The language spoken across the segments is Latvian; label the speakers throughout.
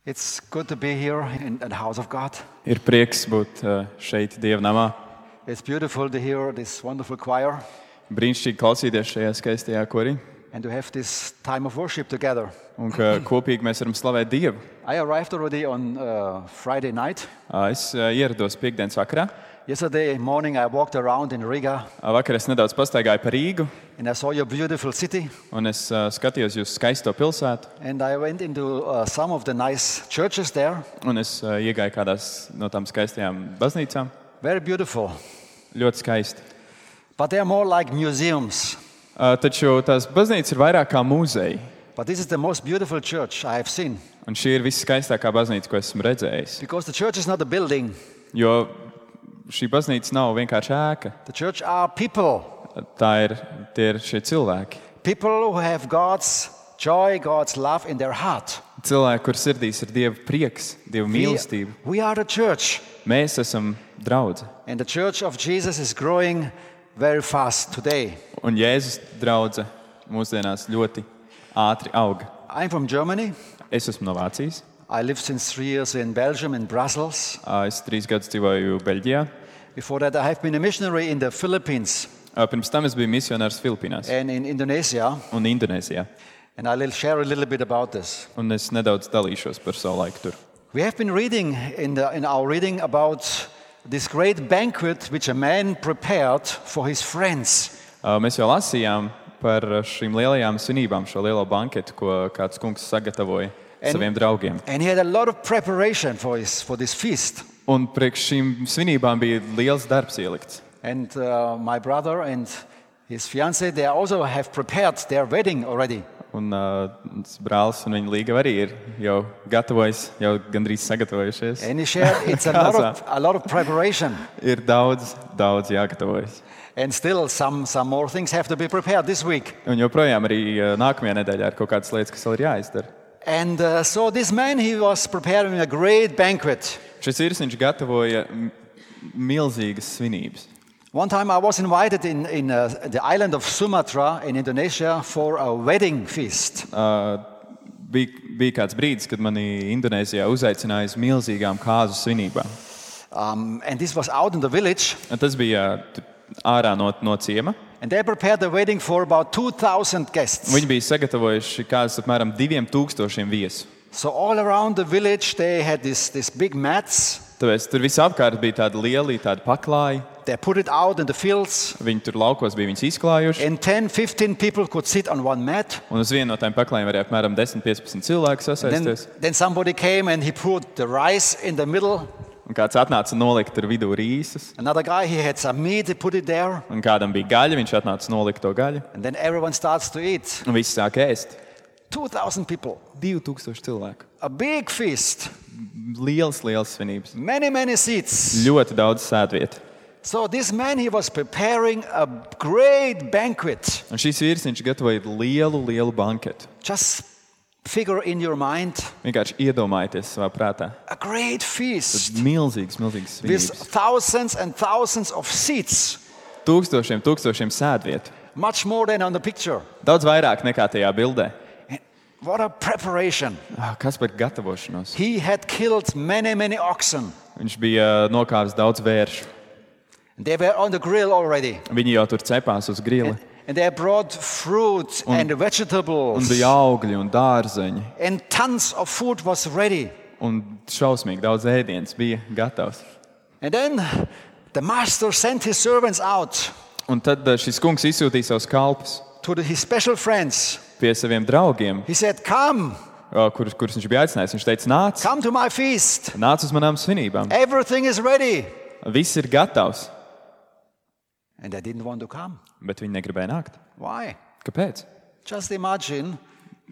Speaker 1: It's good to be here in the house of God.
Speaker 2: Ir prieks būt šeit Dieva namā.
Speaker 1: It's beautiful to hear this wonderful choir
Speaker 2: Brīnišķīgi klausīties šajā skaistajā korī.
Speaker 1: and to have this time of worship together.
Speaker 2: Un ka kopīgi mēs varam slavēt Dievu.
Speaker 1: I arrived already on Friday night.
Speaker 2: Es ierados piekdienas vakarā.
Speaker 1: Yesterday morning I walked around in Riga
Speaker 2: Vakar es nedaudz pastaigāju pa Rīgu.
Speaker 1: and I saw your beautiful city.
Speaker 2: Un es skatījos jūsu skaisto pilsētu.
Speaker 1: And I went into some of the nice churches there.
Speaker 2: Un es iegāju kādās no tām skaistajām baznīcām.
Speaker 1: Very beautiful.
Speaker 2: Ļoti skaisti.
Speaker 1: But they are more like museums.
Speaker 2: Taču tās baznīcas ir vairāk kā muzeji.
Speaker 1: But this is the most beautiful church I have seen.
Speaker 2: Un šī ir viskaistākā baznīca, ko esmu redzējis.
Speaker 1: Because the church is not a building.
Speaker 2: Jo šī baznīca nav vienkārši ēka.
Speaker 1: The church are people.
Speaker 2: Tie ir šie cilvēki.
Speaker 1: People who have God's joy, God's love in their heart.
Speaker 2: Cilvēki, kur sirdīs ir Dieva prieks, Dieva mīlestība.
Speaker 1: We are the church.
Speaker 2: Mēs esam draudze.
Speaker 1: And the church of Jesus is growing very fast today.
Speaker 2: Un Jēzus draudze mūsdienās ļoti ātri aug.
Speaker 1: I'm from Germany.
Speaker 2: Es esmu no Vācijas.
Speaker 1: I lived since 3 years in Belgium, in Brussels.
Speaker 2: Es 3 gadus dzīvoju Beļģijā.
Speaker 1: Before that, I have been a missionary in the Philippines
Speaker 2: Pirms tam es biju misionārs Filipīnās
Speaker 1: and in Indonesia.
Speaker 2: un Indonēzijā.
Speaker 1: And I'll share a little bit about this.
Speaker 2: Un es nedaudz dalīšos par savu laiku tur.
Speaker 1: We have been reading in our reading about this great banquet which a man prepared for his friends.
Speaker 2: Mēs jau lasījām par šīm lielajām svinībām, šo lielo banketu, ko kāds kungs sagatavoja saviem draugiem.
Speaker 1: And he had a lot of preparation for this feast.
Speaker 2: Un priekš šīm svinībām bija liels darbs ielikts.
Speaker 1: And my brother and his fiancée, they also have prepared their wedding already.
Speaker 2: Un brālis un viņa līgava arī ir jau gatavojis, jau gandrīz sagatavojušies.
Speaker 1: And he shared it's a lot of preparation.
Speaker 2: Ir daudz jāgatavojas.
Speaker 1: And still some more things have to be prepared this week.
Speaker 2: Un joprojām arī nākamajā nedēļā ir kaut kādas lietas, kas vēl ir jāizdara.
Speaker 1: And so this man, he was preparing a great banquet.
Speaker 2: Šis vīrs gatavoja milzīgas svinības.
Speaker 1: One time I was invited in the island of Sumatra in Indonesia for a wedding feast.
Speaker 2: Bija kāds brīdis, kad mani Indonēzijā uzaicināja uz milzīgām kāzu svinībām.
Speaker 1: And this was out in the village.
Speaker 2: Un tas bija ārā no ciema.
Speaker 1: And they prepared the wedding for about 2,000 guests.
Speaker 2: Viņi bija sagatavojuši kādus apmēram 2,000 viesu.
Speaker 1: So all around the village they had this big mats.
Speaker 2: Tāpēc tur visapkārt bija tādi lieli, tādi paklāji.
Speaker 1: They put it out in the fields.
Speaker 2: Viņi tur laukos bija viņus izklājuši.
Speaker 1: And 10-15 people could sit on one mat.
Speaker 2: Un uz vienu no tām paklājiem varēja apmēram 10-15 cilvēku sasēsties.
Speaker 1: Then somebody came and he put the rice in the middle.
Speaker 2: Un kāds atnāca un nolika tur vidū rīsas.
Speaker 1: Another guy, he had some meat, he put it there.
Speaker 2: Un kādam bija gaļa, viņš atnāca un nolika to gaļu.
Speaker 1: And then everyone starts to eat.
Speaker 2: Un visi sāk ēst.
Speaker 1: 2,000 people.
Speaker 2: 2,000 cilvēku.
Speaker 1: A big feast.
Speaker 2: Liels svinības.
Speaker 1: Many seats.
Speaker 2: Ļoti daudz sēdvietu.
Speaker 1: So this man, he was preparing a great banquet.
Speaker 2: Un šīs vīrs, viņš gatavoja lielu banketu.
Speaker 1: Just figure in your mind.
Speaker 2: Vienkārši iedomājieties savā prātā.
Speaker 1: A great feast.
Speaker 2: Milzīgas
Speaker 1: With
Speaker 2: svinības.
Speaker 1: thousands and thousands of seats.
Speaker 2: Tūkstošiem sēdvietu.
Speaker 1: Much more than on the picture.
Speaker 2: Daudz vairāk nekā tajā bildē.
Speaker 1: What a preparation.
Speaker 2: Kas par gatavošanos?
Speaker 1: He had killed many oxen.
Speaker 2: Viņš bija nokāvis daudz vēršu.
Speaker 1: They were on the grill already.
Speaker 2: Viņi jau tur cepās uz grila.
Speaker 1: And they brought fruit and
Speaker 2: Un
Speaker 1: vegetables.
Speaker 2: bija augļi un dārzeņi.
Speaker 1: And tons of food was ready.
Speaker 2: Un šausmīgi daudz ēdienas bija gatavs.
Speaker 1: And then the master sent his servants out
Speaker 2: Un tad šis kungs izsūtīja savus kalpus
Speaker 1: to his special friends.
Speaker 2: pie saviem draugiem,
Speaker 1: He said, come
Speaker 2: kurus viņš bija aicinājis. Viņš teica,
Speaker 1: to my feast.
Speaker 2: nāc uz manām svinībām.
Speaker 1: Everything is ready.
Speaker 2: Viss ir gatavs.
Speaker 1: And they didn't want to come.
Speaker 2: Bet viņi negribēja nākt.
Speaker 1: Why?
Speaker 2: Kāpēc?
Speaker 1: Just imagine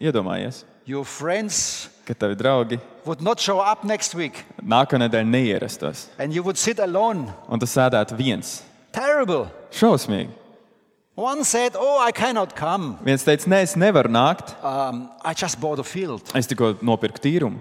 Speaker 2: Iedomājies,
Speaker 1: your friends
Speaker 2: ka tavi draugi
Speaker 1: would not show up next week.
Speaker 2: nākamā nedēļa neierastos.
Speaker 1: And you would sit alone.
Speaker 2: Un tu sēdētu viens.
Speaker 1: Terrible.
Speaker 2: Šausmīgi.
Speaker 1: One said, I cannot come.
Speaker 2: Viens teica, nē, es nevaru nākt.
Speaker 1: I just bought a field.
Speaker 2: Es tikko nopirku tīrumu.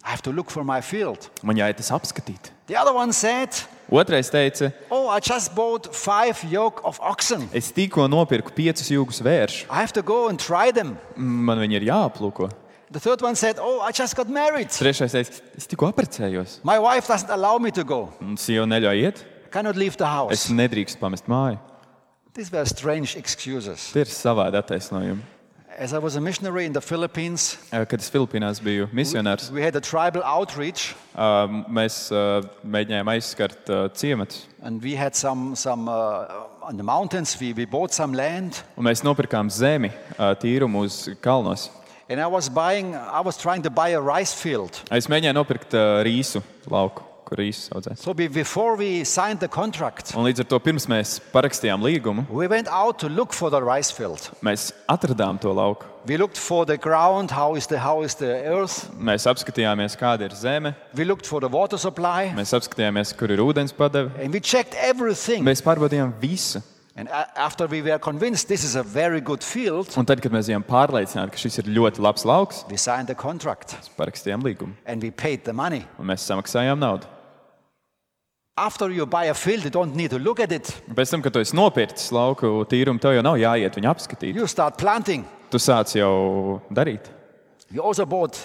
Speaker 1: I have to look for my field.
Speaker 2: Man jāiet tas apskatīt.
Speaker 1: The other one said,
Speaker 2: Otrais teica,
Speaker 1: I just bought 5 yoke of oxen.
Speaker 2: es tikko nopirku 5 jūgus vēršu.
Speaker 1: I have to go and try them.
Speaker 2: Man viņi ir jāaplūko.
Speaker 1: The third one said, "Oh, I just got married.
Speaker 2: Trešais teica, es tikko apprecējos.
Speaker 1: My wife doesn't allow me to go.
Speaker 2: Un sieva neļauj iet.
Speaker 1: I cannot leave the
Speaker 2: Es
Speaker 1: house."
Speaker 2: nedrīkstu pamest māju.
Speaker 1: These were strange excuses.
Speaker 2: Tie ir savādi attaisnojumi.
Speaker 1: As I was a missionary in the Philippines,
Speaker 2: Kad es Filipīnās biju misionārs,
Speaker 1: we had a tribal outreach,
Speaker 2: mēs mēģinājām aizskart ciematus.
Speaker 1: and we had some on the mountains. We bought some land,
Speaker 2: Un mēs nopirkām zemi tīrumu uz kalnos.
Speaker 1: and I was trying to buy a rice field.
Speaker 2: Es mēģināju nopirkt rīsu lauku, kur rīsus audzē.
Speaker 1: So before we signed the contract,
Speaker 2: Un līdz ar to pirms mēs parakstījām līgumu,
Speaker 1: we went out to look for the rice field.
Speaker 2: mēs atradām to lauku.
Speaker 1: We looked for the ground, how is the earth.
Speaker 2: Mēs apskatījāmies, kāda ir zeme,
Speaker 1: We looked for the water supply,
Speaker 2: mēs apskatījāmies, kur ir ūdens padeve.
Speaker 1: and we checked everything.
Speaker 2: Mēs pārbaudījām visu.
Speaker 1: And after we were convinced this is a very good field,
Speaker 2: Un tad, kad mēs bijām pārliecināti, ka šis ir ļoti labs lauks,
Speaker 1: we signed the contract
Speaker 2: mēs parakstījām līgumu
Speaker 1: and we paid the money.
Speaker 2: un mēs samaksājām naudu.
Speaker 1: After you buy a field, you don't need to look at it.
Speaker 2: Un pēc tam, kad tu esi nopircis lauku tīrumu, tev jau nav jāiet viņu apskatīt.
Speaker 1: You start planting.
Speaker 2: Tu sāc jau darīt.
Speaker 1: We also bought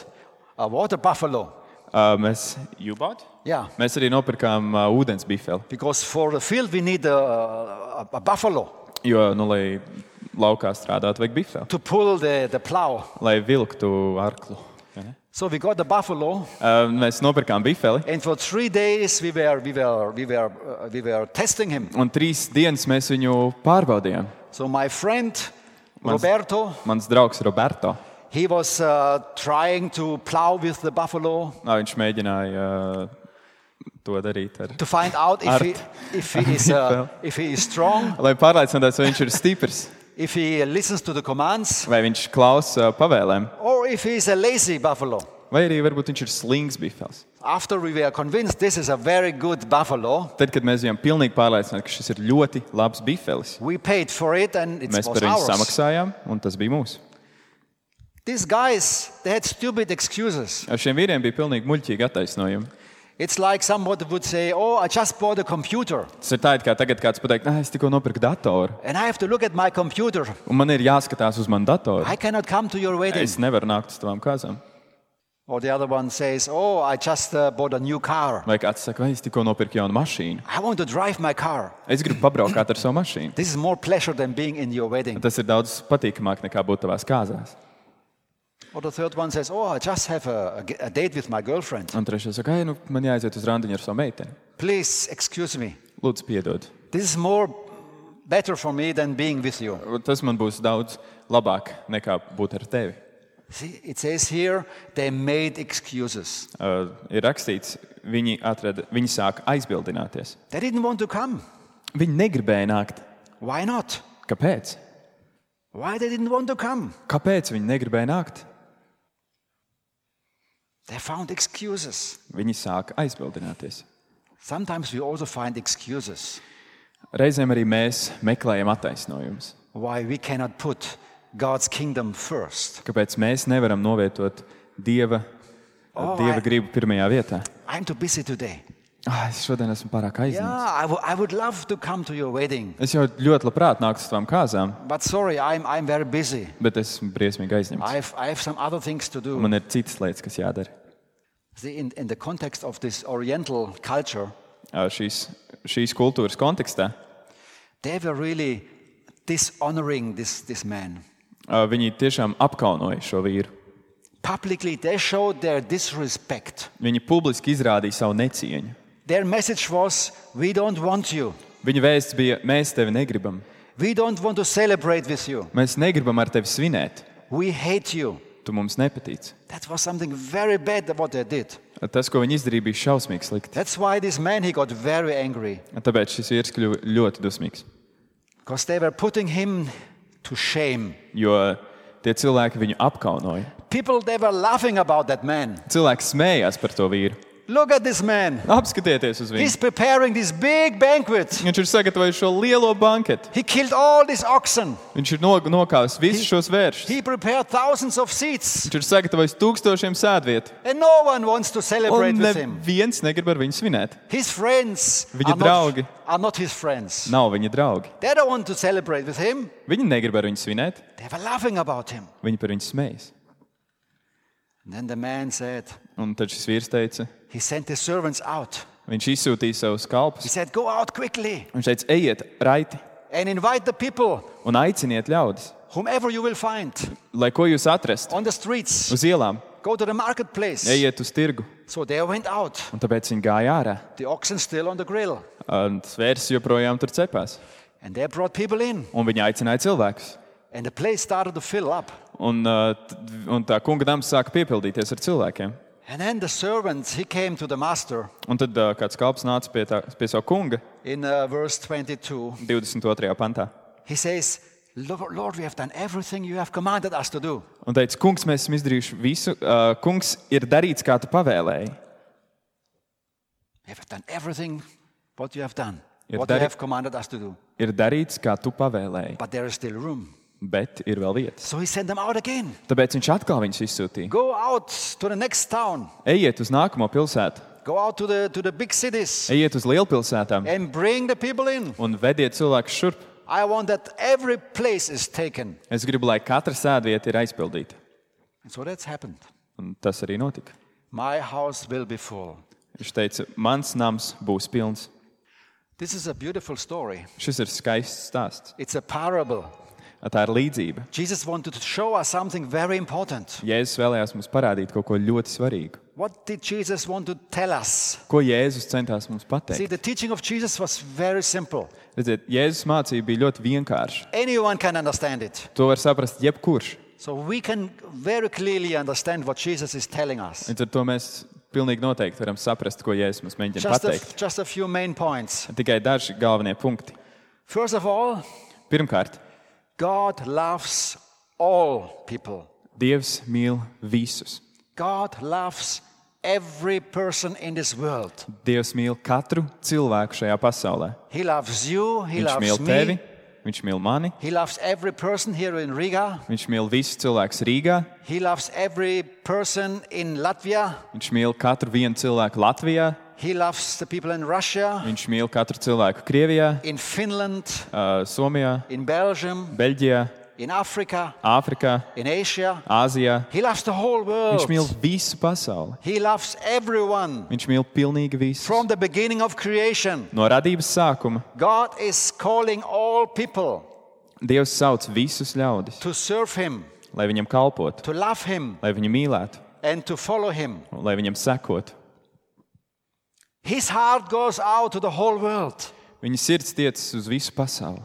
Speaker 1: a water buffalo.
Speaker 2: Mēs jūbāt?
Speaker 1: Yeah,
Speaker 2: Mēs arī nopirkām ūdens bifeli.
Speaker 1: because for the field we need a buffalo
Speaker 2: Jo, lai laukā strādātu, vajag bifeli.
Speaker 1: to pull the plow.
Speaker 2: Lai vilktu arklu. vai ne?
Speaker 1: So we got the buffalo,
Speaker 2: Mēs nopirkām bifeli.
Speaker 1: and for 3 days we were testing him.
Speaker 2: Un 3 dienas mēs viņu pārbaudījām.
Speaker 1: So my friend Roberto,
Speaker 2: Mans draugs Roberto.
Speaker 1: he was trying to plow with the buffalo
Speaker 2: Viņš mēģināja to darīt ar.
Speaker 1: to find out if he is strong,
Speaker 2: Lai pārliecinātos, vai viņš ir stiprs,
Speaker 1: if he listens to the commands,
Speaker 2: vai viņš klausa pavēlēm,
Speaker 1: or if he is a lazy buffalo.
Speaker 2: vai arī varbūt viņš ir slings bifels.
Speaker 1: After we were convinced this is a very good buffalo,
Speaker 2: Tad, kad mēs bijām pilnīgi pārliecināti, ka šis ir ļoti labs bifelis,
Speaker 1: we paid for it and it
Speaker 2: mēs
Speaker 1: was
Speaker 2: par viņu
Speaker 1: ours.
Speaker 2: samaksājām, un tas bija mūsu.
Speaker 1: These guys, they had stupid excuses.
Speaker 2: Ar šiem vīriem bija pilnīgi muļķīgi attaisnojumi.
Speaker 1: It's like somebody would say, "Oh, I just bought a computer
Speaker 2: Tas ir tā, it kā tagad kāds pateikt, es tikko nopirku datoru,
Speaker 1: and I have to look at my computer.
Speaker 2: un man ir jāskatās uz manu datoru.
Speaker 1: I cannot come to your wedding."
Speaker 2: Es nevaru nākt uz tavām kāzām.
Speaker 1: Or the other one says, "Oh, I just bought a new car.
Speaker 2: Vai kāds saka, vai es tikko nopirku jaunu mašīnu.
Speaker 1: I want to drive my car."
Speaker 2: Es gribu pabraukāt ar savu mašīnu.
Speaker 1: This is more pleasure than being in your wedding.
Speaker 2: Tas ir daudz patīkamāk nekā būt tavās kāzās.
Speaker 1: Or the third one says, "Oh, I just have a date with my girlfriend.
Speaker 2: Un trešais saka, man jāaiziet uz randiņu ar savu meiteni.
Speaker 1: Please excuse me.
Speaker 2: Lūdzu, piedod.
Speaker 1: This is better for me than being with you."
Speaker 2: Tas man būs daudz labāk nekā būt ar tevi.
Speaker 1: See, it says here they made excuses.
Speaker 2: Ir rakstīts, viņi sāk aizbildināties.
Speaker 1: They didn't want to come.
Speaker 2: Viņi negribēja nākt.
Speaker 1: Why not?
Speaker 2: Kāpēc?
Speaker 1: Why they didn't want to come?
Speaker 2: Kāpēc viņi negribēja nākt?
Speaker 1: They found excuses.
Speaker 2: Viņi sāk aizbildināties.
Speaker 1: Sometimes we also find excuses
Speaker 2: Reizēm arī mēs meklējam attaisnojumus.
Speaker 1: why we cannot put God's kingdom first.
Speaker 2: Kāpēc mēs nevaram novietot Dieva gribu pirmajā vietā?
Speaker 1: I'm too busy today.
Speaker 2: Es šodien esmu pārāk
Speaker 1: Yeah,
Speaker 2: aizņemts.
Speaker 1: I would love to come to your wedding,
Speaker 2: Es jau ļoti labprāt nāktu uz tavām kāzām,
Speaker 1: but sorry, I'm very busy.
Speaker 2: bet esmu briesmīgi aizņemts.
Speaker 1: I have some other things to do.
Speaker 2: Man ir citas lietas, kas jādara.
Speaker 1: See, in the context of this Oriental culture,
Speaker 2: Šīs kultūras kontekstā
Speaker 1: they were really dishonoring this man.
Speaker 2: viņi tiešām apkaunoja šo vīru.
Speaker 1: Publicly, they showed their disrespect.
Speaker 2: Viņi publiski izrādīja savu necieņu.
Speaker 1: Their message was, "We don't want you.
Speaker 2: Viņa vēsts bija, mēs tevi negribam.
Speaker 1: We don't want to celebrate with you.
Speaker 2: Mēs negribam ar tevi svinēt.
Speaker 1: We hate you."
Speaker 2: Tu mums nepatīc.
Speaker 1: That was something very bad what they did.
Speaker 2: Tas, ko viņi izdarīja, bija šausmīgi slikti.
Speaker 1: That's why this man, he got very angry.
Speaker 2: Tāpēc šis vīrs kļuva ļoti dusmīgs.
Speaker 1: Because they were putting him to shame.
Speaker 2: Jo tie cilvēki viņu apkaunoja.
Speaker 1: People, they were laughing about that man.
Speaker 2: Cilvēki smējās par to vīru.
Speaker 1: Look at this man.
Speaker 2: Apskatieties uz viņu.
Speaker 1: He's preparing this big banquet.
Speaker 2: Viņš ir sagatavojis šo lielo banketu.
Speaker 1: He killed all these oxen.
Speaker 2: Viņš ir nokāvis visus šos vēršus.
Speaker 1: He prepared thousands of seats.
Speaker 2: Viņš ir sagatavojis 1000 sēdvietu.
Speaker 1: And no one wants to
Speaker 2: Un
Speaker 1: celebrate with him.
Speaker 2: neviens negrib ar viņu svinēt.
Speaker 1: His friends
Speaker 2: Viņa draugi
Speaker 1: are not his friends.
Speaker 2: nav viņa draugi.
Speaker 1: They don't want to celebrate with him.
Speaker 2: Viņi negrib ar viņu svinēt.
Speaker 1: They were laughing about him.
Speaker 2: Viņi par viņu smējas.
Speaker 1: And then the man said,
Speaker 2: Un tad šis vīrs teica,
Speaker 1: he sent his servants out.
Speaker 2: viņš izsūtīja savus
Speaker 1: He
Speaker 2: kalpus.
Speaker 1: said, go out quickly
Speaker 2: Viņš teica, ejiet raiti
Speaker 1: and invite the people,
Speaker 2: un aiciniet ļaudis,
Speaker 1: whomever you will find,
Speaker 2: lai ko jūs atrastu
Speaker 1: on the streets.
Speaker 2: uz ielām,
Speaker 1: Go to the marketplace.
Speaker 2: ejiet uz tirgu.
Speaker 1: So they went out.
Speaker 2: Un tāpēc viņi gāja ārā.
Speaker 1: The oxen still on the grill.
Speaker 2: Un svērs joprojām tur cepās.
Speaker 1: And they brought people in.
Speaker 2: Un viņi aicināja cilvēkus.
Speaker 1: And the place started to fill up.
Speaker 2: Un tā kunga nams sāka piepildīties ar cilvēkiem.
Speaker 1: And then the servant, he came to the master
Speaker 2: Un tad kāds kalps nāca pie savu kunga
Speaker 1: in verse 22.
Speaker 2: 22. pantā.
Speaker 1: He says, Lord, we have done everything you have commanded us to do.
Speaker 2: Un teica, kungs, mēs esam izdarījuši visu. Kungs, ir darīts, kā tu pavēlēji.
Speaker 1: We have done everything what you have done,
Speaker 2: Ir
Speaker 1: what you have commanded us to do.
Speaker 2: Ir darīts, kā tu pavēlēji,
Speaker 1: But there is still room.
Speaker 2: bet ir vēl vietas.
Speaker 1: So he sent them out again.
Speaker 2: Tāpēc viņš atkal viņus izsūtīja.
Speaker 1: Go out to the next town.
Speaker 2: Ejiet uz nākamo pilsētu,
Speaker 1: Go out to the big cities
Speaker 2: ejiet uz lielpilsētām
Speaker 1: and bring the people in.
Speaker 2: un vediet cilvēkus šurp.
Speaker 1: I want that every place is taken.
Speaker 2: Es gribu, lai katra sēdvieta ir aizpildīta.
Speaker 1: And so that's happened.
Speaker 2: Un tas arī notika.
Speaker 1: My house will be full.
Speaker 2: Viņš teica, mans nams būs pilns.
Speaker 1: This is a beautiful story.
Speaker 2: Šis ir skaists stāsts.
Speaker 1: It's a parable.
Speaker 2: Tā ir līdzība.
Speaker 1: Jesus wanted to show us something very important.
Speaker 2: Jēzus vēlējās mums parādīt kaut ko ļoti svarīgu.
Speaker 1: What did Jesus want to tell us?
Speaker 2: Ko Jēzus centās mums
Speaker 1: See,
Speaker 2: pateikt?
Speaker 1: the teaching of Jesus was very simple.
Speaker 2: Redziet, Jēzus mācība bija ļoti vienkārša.
Speaker 1: Anyone can understand it.
Speaker 2: To var saprast jebkurš.
Speaker 1: So we can very clearly understand what Jesus is telling us.
Speaker 2: Līdz ar to mēs pilnīgi noteikti varam saprast, ko Jēzus mums mēģina pateikt.
Speaker 1: Just a few main points.
Speaker 2: Tikai daži galvenie punkti.
Speaker 1: First of all,
Speaker 2: Pirmkārt,
Speaker 1: God loves all people.
Speaker 2: Dievs mīl visus.
Speaker 1: God loves every person in this world.
Speaker 2: Dievs mīl katru cilvēku šajā pasaulē.
Speaker 1: He loves you, he
Speaker 2: Viņš mīl
Speaker 1: loves
Speaker 2: tevi,
Speaker 1: me.
Speaker 2: viņš mīl mani,
Speaker 1: He loves every person here in Riga.
Speaker 2: viņš mīl visus cilvēkus Rīgā,
Speaker 1: He loves every person in Latvia.
Speaker 2: viņš mīl katru vienu cilvēku Latvijā,
Speaker 1: He loves the people in Russia,
Speaker 2: viņš mīl katru cilvēku Krievijā,
Speaker 1: in Finland,
Speaker 2: Somijā,
Speaker 1: in Belgium,
Speaker 2: Beļģijā,
Speaker 1: in Africa,
Speaker 2: Āfrikā,
Speaker 1: in Asia.
Speaker 2: Āzijā.
Speaker 1: He loves the whole
Speaker 2: Viņš mīl
Speaker 1: world.
Speaker 2: visu pasauli.
Speaker 1: He loves everyone.
Speaker 2: Viņš mīl pilnīgi visus.
Speaker 1: From the beginning of creation,
Speaker 2: No radības sākuma
Speaker 1: God is calling all people
Speaker 2: Dievs sauc visus ļaudis,
Speaker 1: to serve Him,
Speaker 2: lai viņam kalpotu,
Speaker 1: to love Him,
Speaker 2: lai viņu mīlētu,
Speaker 1: and to follow Him.
Speaker 2: un lai viņam sekotu.
Speaker 1: His heart goes out to the whole world.
Speaker 2: Viņa sirds tiecas uz visu pasauli.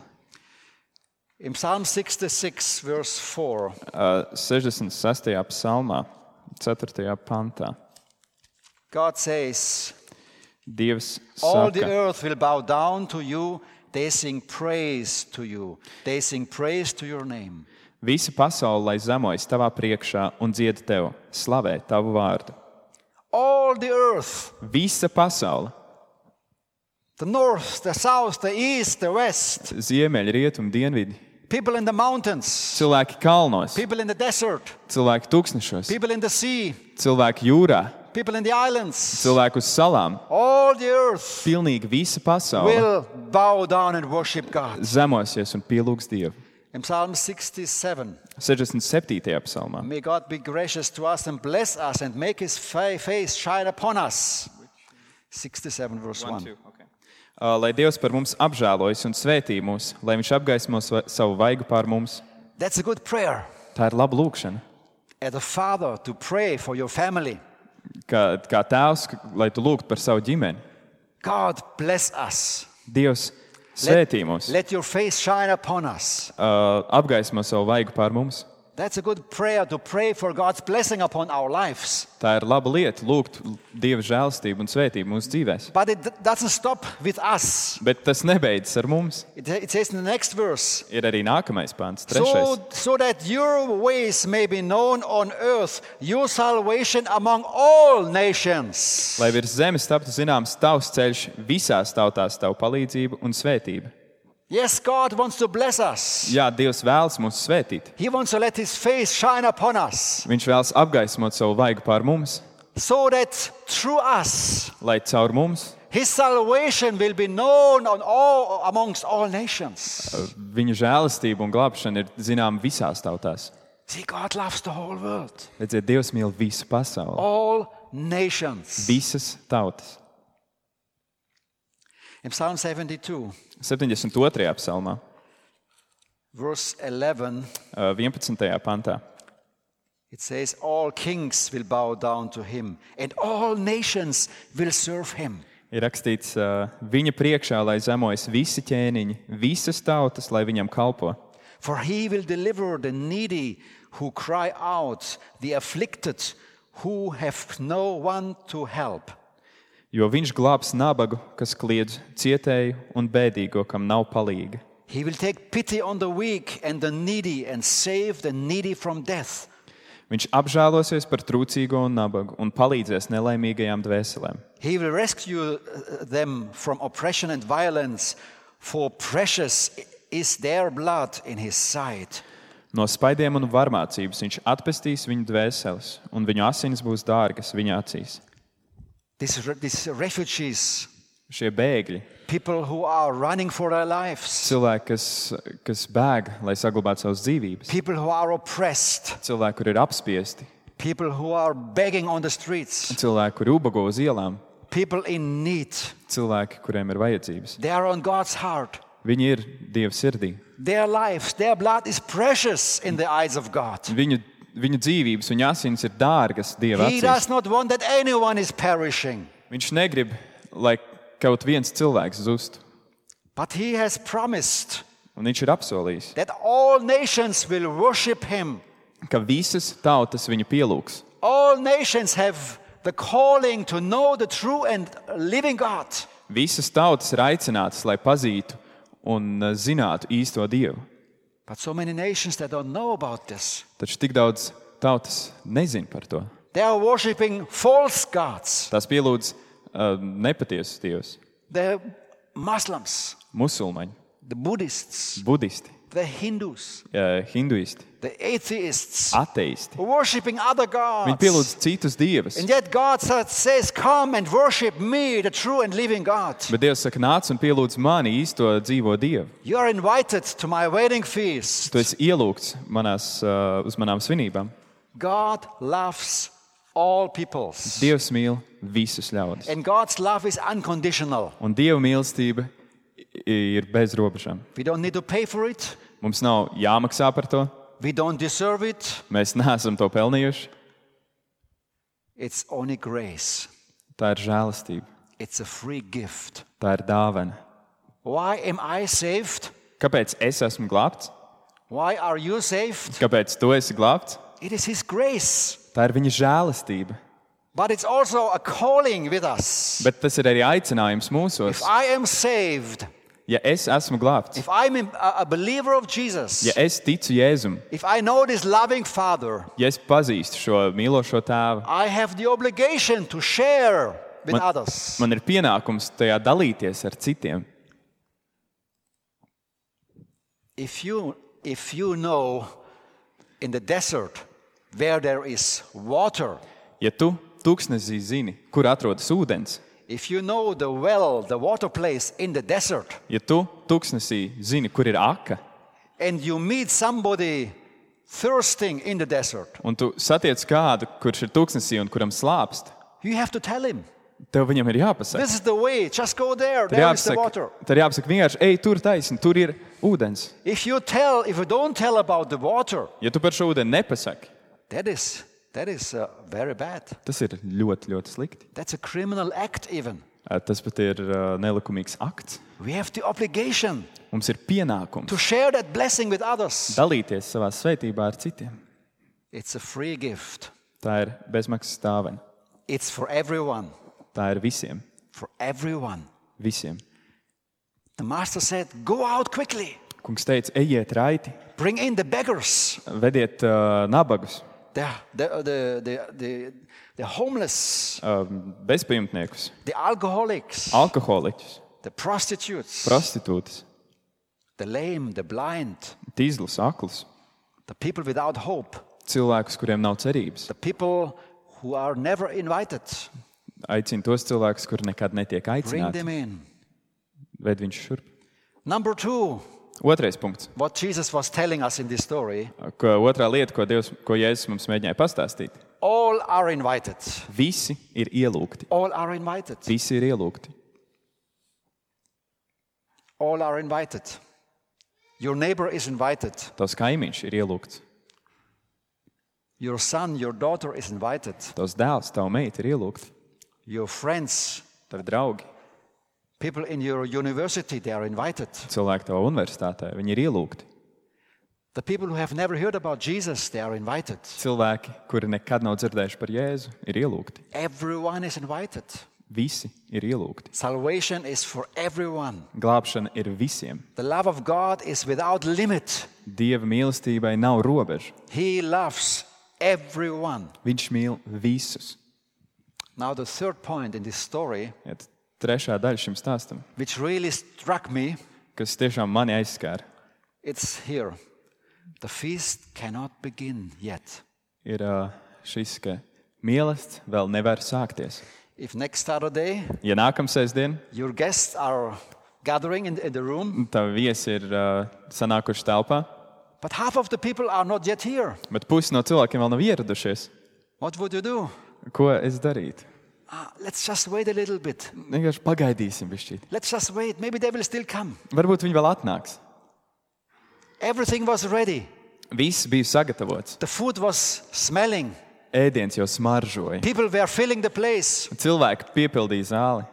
Speaker 1: In Psalm 66, verse 4,
Speaker 2: 66. psalmā, 4. pantā.
Speaker 1: God says,
Speaker 2: Dievs
Speaker 1: all the
Speaker 2: saka,
Speaker 1: earth will bow down to you. They sing praise to you. They sing praise to your name.
Speaker 2: visa pasaule, lai zemojas tavā priekšā un dzied tev, slavē tavu vārdu.
Speaker 1: All the earth,
Speaker 2: Visa pasaule,
Speaker 1: the north, the south, the east, the west,
Speaker 2: ziemeļi, rietumi, dienvidi,
Speaker 1: people in the mountains,
Speaker 2: cilvēki kalnos,
Speaker 1: people in the desert,
Speaker 2: cilvēki tūkstnešos,
Speaker 1: people in the sea,
Speaker 2: cilvēki jūrā,
Speaker 1: people in the islands.
Speaker 2: cilvēki uz salām.
Speaker 1: All the earth
Speaker 2: Pilnīgi visa pasaule
Speaker 1: will bow down and worship God.
Speaker 2: zemosies un pielūgs Dievu.
Speaker 1: In Psalm 67,
Speaker 2: 67. psalmā.
Speaker 1: may God be gracious to us and bless us and make His face shine upon us. 67 verse 1.
Speaker 2: Lai Dievs par mums apžēlojas un svētī mūs, lai Viņš apgaismo savu vaigu pār mums.
Speaker 1: That's a good prayer.
Speaker 2: Tā ir laba lūkšana.
Speaker 1: As a father to pray for your family.
Speaker 2: Kā tēvs, lai tu lūgtu par savu ģimeni.
Speaker 1: God bless us.
Speaker 2: Dievs svētī mūs,
Speaker 1: Let your face shine upon us.
Speaker 2: apgaismo savu vaigu pār mums.
Speaker 1: That's a good prayer to pray for God's blessing upon our lives.
Speaker 2: Tā ir laba lieta lūgt Dieva žēlastību un svētību mūsu dzīvēs.
Speaker 1: But it doesn't stop with us.
Speaker 2: Bet tas nebeidzas ar mums.
Speaker 1: It says in the next verse,
Speaker 2: Ir arī nākamais pants, 3.
Speaker 1: so that your ways may be known on earth, your salvation among all nations.
Speaker 2: Lai virs zemes taptu zināms tavs ceļš visās tautās, tavu palīdzību un svētību.
Speaker 1: Yes, God wants to bless us.
Speaker 2: Jā, Dievs vēlas mūs svētīt.
Speaker 1: He wants to let His face shine upon us,
Speaker 2: Viņš vēlas apgaismot savu vaigu pār mums,
Speaker 1: so that through us,
Speaker 2: lai caur mums
Speaker 1: His salvation will be known amongst all nations.
Speaker 2: viņa žēlastība un glābšana ir zinām visās tautās.
Speaker 1: See, God loves the whole world.
Speaker 2: Redziet, Dievs mīl visu pasauli,
Speaker 1: All nations.
Speaker 2: visas tautas.
Speaker 1: In Psalm 72,
Speaker 2: 72. psalmā,
Speaker 1: verse 11,
Speaker 2: 11. pantā.
Speaker 1: it says, all kings will bow down to him, and all nations will serve him.
Speaker 2: Ir rakstīts, viņa priekšā, lai zemojas visi ķēniņi, visas tautas, lai viņam kalpo.
Speaker 1: For he will deliver the needy who cry out, the afflicted who have no one to help.
Speaker 2: Jo viņš glābs nabagu, kas kliedz cietēju un bēdīgo, kam nav palīga.
Speaker 1: He will take pity on the weak and the needy and save the needy from death.
Speaker 2: Viņš apžēlosies par trūcīgo un nabagu un palīdzēs nelaimīgajām dvēselēm.
Speaker 1: He will rescue them from oppression and violence, for precious is their blood in his sight.
Speaker 2: No spaidiem un varmācības viņš atpestīs viņu dvēseles, un viņu asinis būs dārgas viņa acīs.
Speaker 1: These refugees,
Speaker 2: Šie bēgļi,
Speaker 1: people who are running for their lives,
Speaker 2: cilvēki, kas bēg, lai saglabātu savas dzīvības,
Speaker 1: people who are oppressed,
Speaker 2: cilvēki, kur ir apspiesti,
Speaker 1: people who are begging on the streets,
Speaker 2: cilvēki, kur ubago uz ielām,
Speaker 1: people in need.
Speaker 2: cilvēki, kuriem ir vajadzības.
Speaker 1: They are on God's heart.
Speaker 2: Viņi ir Dieva sirdī.
Speaker 1: Their lives, their blood is precious in the eyes of God.
Speaker 2: Viņu dzīvības, viņu asinis ir dārgas Dieva
Speaker 1: He
Speaker 2: acīs.
Speaker 1: does not want that anyone is perishing.
Speaker 2: Viņš negrib, lai kaut viens cilvēks zustu.
Speaker 1: But he has promised
Speaker 2: Un viņš ir apsolījis,
Speaker 1: that all nations will worship him.
Speaker 2: ka visas tautas viņu pielūgs.
Speaker 1: All nations have the calling to know the true and living God.
Speaker 2: Visas tautas ir aicinātas, lai pazītu un zinātu īsto Dievu.
Speaker 1: But so many nations that don't know about this.
Speaker 2: Taču tik daudz tautas nezin par to.
Speaker 1: They are worshiping false gods.
Speaker 2: Tās pielūdz nepatiesus dievus.
Speaker 1: The Muslims,
Speaker 2: Musulmaņi,
Speaker 1: the Buddhists,
Speaker 2: budisti,
Speaker 1: the Hindus,
Speaker 2: hinduisti,
Speaker 1: the atheists,
Speaker 2: ateisti.
Speaker 1: worshiping other
Speaker 2: Viņi
Speaker 1: gods.
Speaker 2: pielūdz citus dievus.
Speaker 1: And yet God says, come and worship me, the true and living God.
Speaker 2: Bet Dievs saka, nāc un pielūdz mani īsto dzīvo Dievu.
Speaker 1: You are invited to my wedding feast.
Speaker 2: Tu esi ielūgts uz manām svinībām.
Speaker 1: God loves all peoples.
Speaker 2: Dievs mīl visus ļaudis.
Speaker 1: And God's love is unconditional.
Speaker 2: Un Dieva mīlestība ir bez robežām.
Speaker 1: We don't need to pay for it.
Speaker 2: Mums nav jāmaksā par to.
Speaker 1: We don't deserve it.
Speaker 2: Mēs neesam to pelnījuši.
Speaker 1: It's only grace.
Speaker 2: Tā ir žēlastība.
Speaker 1: It's a free gift.
Speaker 2: Tā ir dāvana.
Speaker 1: Why am I saved?
Speaker 2: Kāpēc es esmu glābts?
Speaker 1: Why are you saved?
Speaker 2: Kāpēc tu esi glābts?
Speaker 1: It is His grace.
Speaker 2: Tā ir viņa žēlastība.
Speaker 1: But it's also a calling with us.
Speaker 2: Bet tas ir arī aicinājums mūsos.
Speaker 1: If I am saved,
Speaker 2: Ja es esmu glābts,
Speaker 1: if I'm a believer of Jesus,
Speaker 2: ja es ticu Jēzum,
Speaker 1: if I know this loving Father,
Speaker 2: ja es pazīstu šo mīlošo tēvu,
Speaker 1: I have the obligation to share with others.
Speaker 2: man ir pienākums tajā dalīties ar citiem.
Speaker 1: If you know in the desert where there is water,
Speaker 2: Ja tu tūkstnesī zini, kur atrodas ūdens,
Speaker 1: if you know the well, the water place in the desert,
Speaker 2: ja tu tūkstnesī zini, kur ir aka,
Speaker 1: and you meet somebody thirsting in the desert,
Speaker 2: un tu satiec kādu, kurš ir tūkstnesī un kuram slāpst,
Speaker 1: you have to tell him,
Speaker 2: tev viņam ir jāpasaka.
Speaker 1: this is the way, just go there,
Speaker 2: Tad
Speaker 1: there is the water.
Speaker 2: jāpasaka vienkārši, ej, tur taisni, tur ir ūdens.
Speaker 1: If you don't tell about the water,
Speaker 2: Ja tu par šo ūdeni nepasaki,
Speaker 1: that is very bad.
Speaker 2: tas ir ļoti, ļoti slikti.
Speaker 1: That's a criminal act even.
Speaker 2: Tas pat ir nelikumīgs akts.
Speaker 1: We have the obligation
Speaker 2: Mums ir pienākums
Speaker 1: to share that blessing with others.
Speaker 2: dalīties savā svētībā ar citiem.
Speaker 1: It's a free gift.
Speaker 2: Tā ir bezmaksas dāvana.
Speaker 1: It's for everyone.
Speaker 2: Tā ir visiem.
Speaker 1: For everyone.
Speaker 2: Visiem.
Speaker 1: The master said, go out quickly.
Speaker 2: Kungs teica, ejiet raiti,
Speaker 1: Bring in the beggars,
Speaker 2: vediet nabagus,
Speaker 1: the homeless,
Speaker 2: bezpajumtniekus,
Speaker 1: the alcoholics,
Speaker 2: alkoholiķus,
Speaker 1: the prostitutes,
Speaker 2: prostitūtas,
Speaker 1: the lame, the blind,
Speaker 2: tīzlus, aklus,
Speaker 1: the people without hope,
Speaker 2: cilvēkus, kuriem nav cerības.
Speaker 1: the people who are never invited.
Speaker 2: Aicina tos cilvēkus, kuri nekad netiek
Speaker 1: Bring
Speaker 2: aicināti.
Speaker 1: them in.
Speaker 2: Ved viņš šurp.
Speaker 1: Number 2,
Speaker 2: Otrais punkts.
Speaker 1: What Jesus was telling us in this story,
Speaker 2: Otrā lieta, ko Jēzus mums mēģināja pastāstīt.
Speaker 1: all are invited.
Speaker 2: Visi ir ielūgti.
Speaker 1: All are invited.
Speaker 2: Visi ir ielūgti.
Speaker 1: All are invited. Your neighbor is invited.
Speaker 2: Tavs kaimiņš ir ielūgts.
Speaker 1: Your son, your daughter is invited.
Speaker 2: Tavs dēls, tava meita ir ielūgti.
Speaker 1: Your friends,
Speaker 2: Tavi draugi,
Speaker 1: people in your university, they are invited.
Speaker 2: cilvēki tavā universitātē, viņi ir ielūgti.
Speaker 1: The people who have never heard about Jesus, they are invited.
Speaker 2: Cilvēki, kuri nekad nav dzirdējuši par Jēzu, ir ielūgti.
Speaker 1: Everyone is invited.
Speaker 2: Visi ir ielūgti.
Speaker 1: Salvation is for everyone.
Speaker 2: Glābšana ir visiem.
Speaker 1: The love of God is without limit.
Speaker 2: Dieva mīlestībai nav robežu.
Speaker 1: He loves everyone.
Speaker 2: Viņš mīl visus.
Speaker 1: Now the third point in this story,
Speaker 2: Trešā daļa šim stāstam,
Speaker 1: which really struck me,
Speaker 2: kas tiešām mani aizskāra,
Speaker 1: it's here. The feast cannot begin yet.
Speaker 2: ir šis, ka mīlestība vēl nevar sākties.
Speaker 1: If next Saturday
Speaker 2: Ja nākamsēsdien
Speaker 1: your guests are gathering in the room,
Speaker 2: tavi viesi ir sanākuši telpā,
Speaker 1: but half of the people are not yet here,
Speaker 2: bet pusi no cilvēkiem vēl nav ieradušies,
Speaker 1: what would you do?
Speaker 2: ko es darītu?
Speaker 1: Let's just wait a little bit.
Speaker 2: Vienkārši pagaidīsim bišķīt.
Speaker 1: Let's just wait. Maybe they will still come.
Speaker 2: Varbūt viņi vēl atnāks.
Speaker 1: Everything was ready.
Speaker 2: Viss bija sagatavots.
Speaker 1: The food was smelling.
Speaker 2: Ēdiens jau smaržoja.
Speaker 1: People were filling the place.
Speaker 2: Cilvēki piepildīja zāli.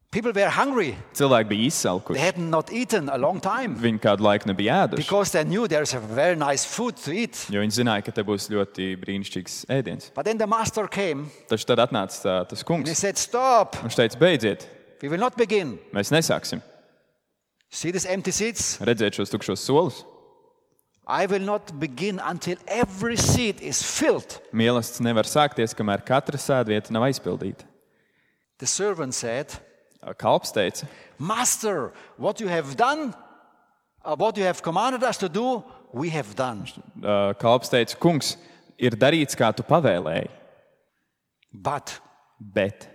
Speaker 1: People were hungry.
Speaker 2: Cilvēki bija
Speaker 1: They
Speaker 2: izsalkuši.
Speaker 1: had not eaten a long time
Speaker 2: Viņi kādu laiku nebija ēduši,
Speaker 1: because they knew there's a very nice food to eat.
Speaker 2: jo viņi zināja, ka te būs ļoti brīnišķīgs ēdiens.
Speaker 1: But then the master came
Speaker 2: Taču tad atnāca tas
Speaker 1: and he
Speaker 2: kungs.
Speaker 1: said, "Stop.
Speaker 2: Viņš teica, beidziet,
Speaker 1: We will not begin.
Speaker 2: mēs nesāksim.
Speaker 1: See these empty seats?
Speaker 2: Redzēt šos tukšos solus.
Speaker 1: I will not begin until every seat is filled."
Speaker 2: Mīlestības nevar sākties, kamēr katra sēdvieta nav aizpildīta.
Speaker 1: The servant said,
Speaker 2: Kalps teica,
Speaker 1: "Master, what you have done, what you have commanded us to do, we have done."
Speaker 2: Kalps teica, kungs, ir darīts, kā tu pavēlēji,
Speaker 1: But
Speaker 2: bet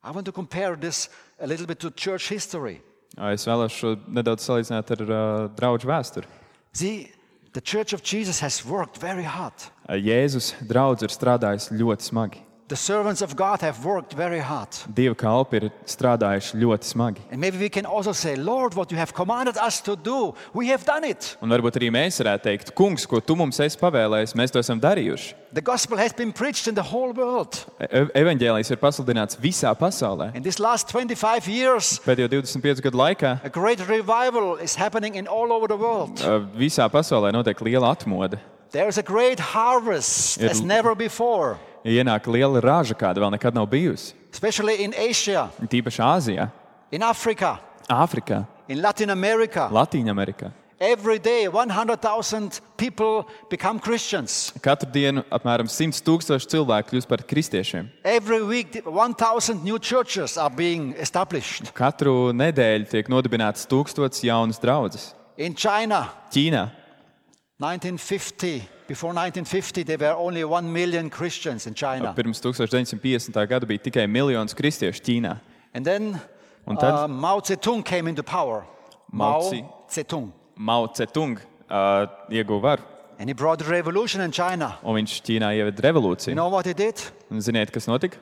Speaker 1: I want to compare this a little bit to church history.
Speaker 2: es vēlos šo nedaudz salīdzināt ar draugu vēsturi.
Speaker 1: See, the Church of Jesus has worked very hard.
Speaker 2: Jēzus draugs ir strādājis ļoti smagi.
Speaker 1: The servants of God have worked very hard.
Speaker 2: Dieva kalpi ir strādājuši ļoti smagi.
Speaker 1: And maybe we can also say, "Lord, what you have commanded us to do, we have done it."
Speaker 2: Un varbūt arī mēs varētu teikt, kungs, ko tu mums esi pavēlējis, mēs to esam darījuši.
Speaker 1: The gospel has been preached in the whole world.
Speaker 2: Evaņģēlijs ir pasludināts visā pasaulē.
Speaker 1: In this last 25 years,
Speaker 2: Pēdējo 25 gadu laikā
Speaker 1: a great revival is happening in all over the world.
Speaker 2: visā pasaulē notiek liela atmoda.
Speaker 1: There is a great harvest as never before,
Speaker 2: Ienāk liela raža, kāda vēl nekad nav bijusi.
Speaker 1: especially in Asia,
Speaker 2: Tīpaši Āzijā,
Speaker 1: in Africa,
Speaker 2: Āfrikā,
Speaker 1: in Latin America.
Speaker 2: Latīņamerikā.
Speaker 1: Every day, 100,000 people become Christians.
Speaker 2: Katru dienu apmēram 100,000 cilvēku kļūst par kristiešiem.
Speaker 1: Every week, 1,000 new churches are being established.
Speaker 2: Katru nedēļu tiek nodibināts 1000 jaunas draudzes.
Speaker 1: In China,
Speaker 2: Ķīnā
Speaker 1: 1950, before 1950, there were only 1 million Christians in China.
Speaker 2: pirms 1950. Gada bija tikai miljons kristiešu Ķīnā.
Speaker 1: And then
Speaker 2: Un tad?
Speaker 1: Mao Zedong came into power.
Speaker 2: Mao
Speaker 1: Mao
Speaker 2: Tse-
Speaker 1: Zedong.
Speaker 2: Mao Tse-tung ieguva varu,
Speaker 1: And he brought a revolution in China.
Speaker 2: un viņš Ķīnā ieveda
Speaker 1: You
Speaker 2: revolūciju.
Speaker 1: know what he did?
Speaker 2: Un ziniet, kas notika?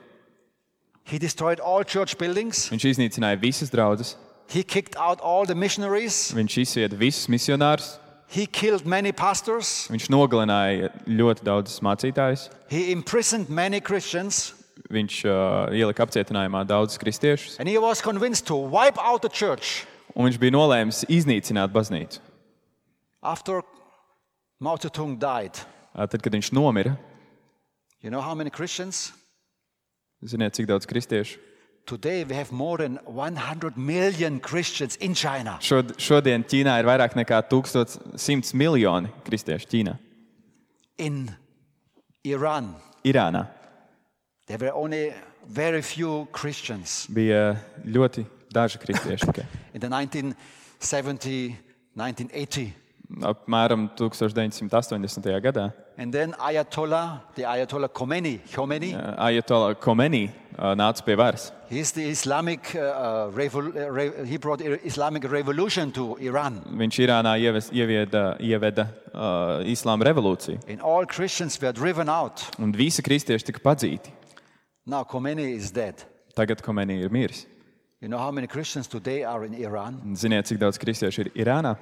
Speaker 1: He destroyed all church buildings.
Speaker 2: Viņš iznīcināja visas draudzes,
Speaker 1: He kicked out all the missionaries.
Speaker 2: viņš izsvieda visus misionārus,
Speaker 1: He killed many pastors.
Speaker 2: viņš nogalināja ļoti daudzus mācītājus,
Speaker 1: He imprisoned many Christians.
Speaker 2: viņš ielika apcietinājumā daudzus kristiešus,
Speaker 1: And he was convinced to wipe out the church.
Speaker 2: un viņš bija nolēmis iznīcināt baznīcu.
Speaker 1: After Mao Zedong died,
Speaker 2: Tad, kad viņš nomira,
Speaker 1: you know how many Christians?
Speaker 2: ziniet, cik daudz kristiešu?
Speaker 1: Today we have more than 100 million Christians in China.
Speaker 2: Šodien Ķīnā ir vairāk nekā 1100 miljoni kristiešu Ķīnā.
Speaker 1: In Iran,
Speaker 2: Irānā
Speaker 1: there were only very few Christians.
Speaker 2: bija ļoti daži kristieši tikai.
Speaker 1: In the 1970, 1980.
Speaker 2: Apmēram 1980. gadā
Speaker 1: And then the Ayatollah Khomeini,
Speaker 2: Ajatola Komeni nāca pie varas.
Speaker 1: He's the Islamic, he brought Islamic revolution to Iran.
Speaker 2: Viņš Irānā ieveda islāma revolūciju.
Speaker 1: And all Christians were driven out.
Speaker 2: Un visi kristieši tika padzīti.
Speaker 1: Now Khomeini is dead.
Speaker 2: Tagad Khomeini ir miris.
Speaker 1: You know how many Christians today are in Iran?
Speaker 2: Ziniet, cik daudz kristiešu ir Irānā?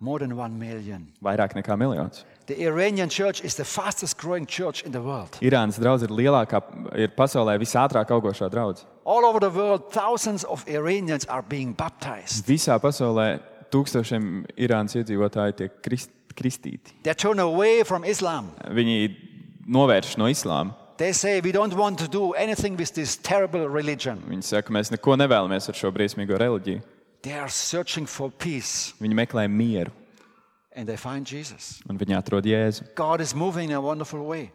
Speaker 1: More than 1 million.
Speaker 2: Vairāk nekā miljons.
Speaker 1: The Iranian church is the fastest growing church in the world.
Speaker 2: Irānas draudze ir pasaulē visātrāk augošā draudze.
Speaker 1: All over the world, thousands of Iranians are being baptized.
Speaker 2: Visā pasaulē tūkstošiem Irānas iedzīvotāji tiek kristīti.
Speaker 1: They turn away from Islam.
Speaker 2: Viņi novērš no islāma.
Speaker 1: They say, we don't want to do anything with this terrible religion.
Speaker 2: Viņi saka, mēs neko nevēlamies ar šo briesmīgo reliģiju.
Speaker 1: They are searching for peace.
Speaker 2: Viņi meklē mieru.
Speaker 1: And they find Jesus.
Speaker 2: Un viņi atrod Jēzu.
Speaker 1: God is moving in a wonderful way.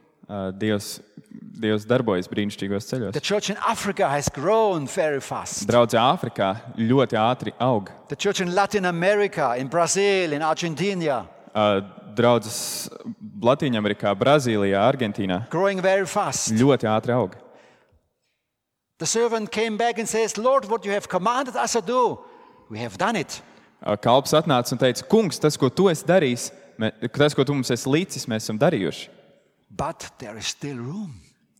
Speaker 2: Dievs darbojas brīnišķīgos ceļos.
Speaker 1: The church in Africa has grown very fast.
Speaker 2: Draudze Āfrikā ļoti ātri aug.
Speaker 1: The church in Latin America, in Brazil, in Argentina.
Speaker 2: Draudzes Latīņamerikā, Brazīlijā, Argentīnā
Speaker 1: Growing very fast.
Speaker 2: ļoti ātri aug.
Speaker 1: The servant came back and says, Lord, what you have commanded us to do, we have done it.
Speaker 2: Kalps atnāca un teica, kungs, tas, ko tu esi darījis, tas, ko tu mums esi līdzis, mēs esam darījuši.
Speaker 1: But there is still room.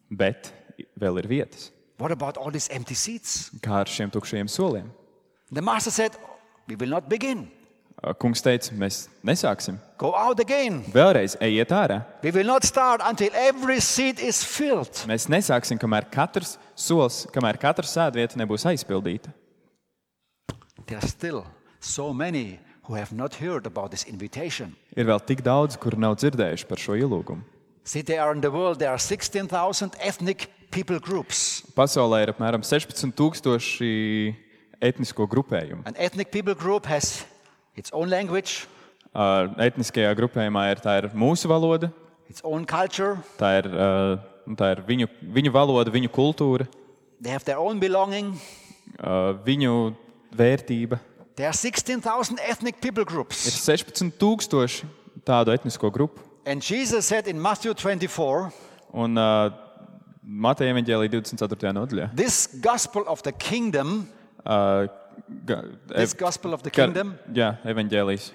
Speaker 2: Bet vēl ir vietas.
Speaker 1: What about all these empty seats?
Speaker 2: Kā ar šiem tukšajiem soliem?
Speaker 1: The master said, we will not begin.
Speaker 2: Kungs teica, mēs nesāksim.
Speaker 1: Go out again.
Speaker 2: Vēlreiz ejiet ārā.
Speaker 1: We will not start until every seat is filled.
Speaker 2: Mēs nesāksim, kamēr katrs solis, kamēr katra sēdvieta nebūs aizpildīta.
Speaker 1: There are still so many who have not heard about this invitation.
Speaker 2: Ir vēl tik daudz, kuri nav dzirdējuši par šo ielūgumu.
Speaker 1: See, there in the world there are 16,000 ethnic people groups.
Speaker 2: Pasaulē ir apmēram 16,000 etnisko grupējumu.
Speaker 1: An ethnic people group has its own language,
Speaker 2: Etniskajā grupējumā ir mūsu valoda,
Speaker 1: its own culture.
Speaker 2: tā ir viņu valoda, viņu kultūra,
Speaker 1: They have their own belonging.
Speaker 2: viņu vērtība.
Speaker 1: There are 16,000 ethnic people
Speaker 2: Ir
Speaker 1: groups.
Speaker 2: 16,000 tādu etnisko grupu.
Speaker 1: And Jesus said in Matthew 24,
Speaker 2: Un Mateja evaņģēlija 24. nodaļā.
Speaker 1: this gospel of the kingdom,
Speaker 2: Jā, evaņģēlijas.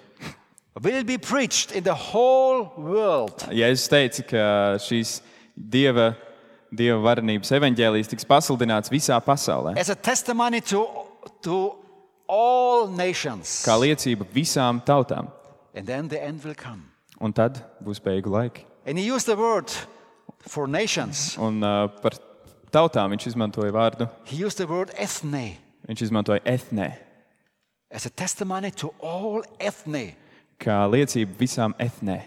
Speaker 1: will be preached in the whole world
Speaker 2: Jēzus teica, ka šīs Dieva varenības evaņģēlijas tiks pasludināts visā pasaulē.
Speaker 1: as a testimony to all nations.
Speaker 2: Kā liecība visām tautām.
Speaker 1: And then the end will come.
Speaker 2: Un tad būs beigu laiki.
Speaker 1: And he used the word for nations.
Speaker 2: Un par tautām viņš izmantoja vārdu.
Speaker 1: He used the word ethne
Speaker 2: Viņš izmantoja etnē.
Speaker 1: as a testimony to all ethne.
Speaker 2: Kā liecība visām etnē.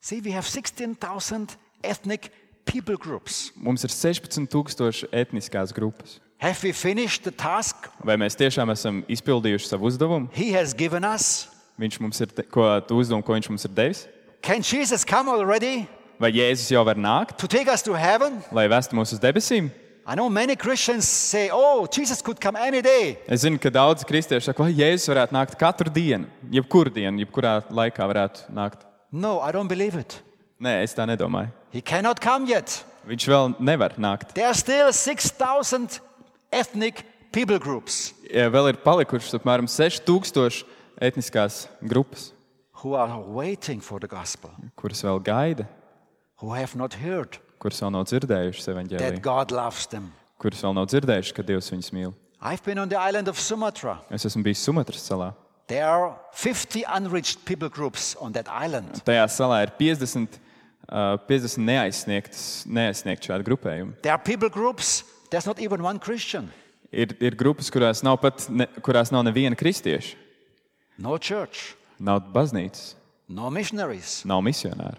Speaker 1: See, we have 16,000 ethnic people groups.
Speaker 2: Mums ir 16,000 etniskās grupas.
Speaker 1: Have we finished the task
Speaker 2: Vai mēs tiešām esam izpildījuši savu uzdevumu?
Speaker 1: he has given us?
Speaker 2: Viņš mums ir, uzdevumu, ko viņš mums ir devis?
Speaker 1: Can Jesus come already
Speaker 2: Vai Jēzus jau var nākt,
Speaker 1: to take us to heaven?
Speaker 2: lai vestu mūs uz debesīm?
Speaker 1: I know many Christians say, oh, Jesus could come any day.
Speaker 2: Es zinu, ka daudzi kristieši saka, ka Jēzus varētu nākt katru dienu, jebkurā laikā varētu nākt.
Speaker 1: No, I don't believe it.
Speaker 2: Nē, es tā nedomāju.
Speaker 1: He cannot come yet.
Speaker 2: Viņš vēl nevar nākt.
Speaker 1: There are still 6,000 ethnic people groups
Speaker 2: Vēl ir palikušas apmēram 6,000 etniskās grupas,
Speaker 1: who are waiting for the gospel,
Speaker 2: kuras vēl gaida,
Speaker 1: who have not heard
Speaker 2: kuras vēl nav dzirdējušas
Speaker 1: that
Speaker 2: evaņģēliju,
Speaker 1: God loves them.
Speaker 2: kuras vēl nav dzirdējušas, ka Dievs viņus mīl.
Speaker 1: I've been on the island of Sumatra.
Speaker 2: Es esmu bijis Sumatras salā.
Speaker 1: There are 50 unreached people groups on that island.
Speaker 2: Tajā salā ir 50 neaizsniegt šādi grupējumi.
Speaker 1: There are people groups, there's not even one Christian.
Speaker 2: Ir grupas, kurās nav neviena kristieša.
Speaker 1: No church,
Speaker 2: Nav baznīcas,
Speaker 1: no missionaries.
Speaker 2: nav misionāru.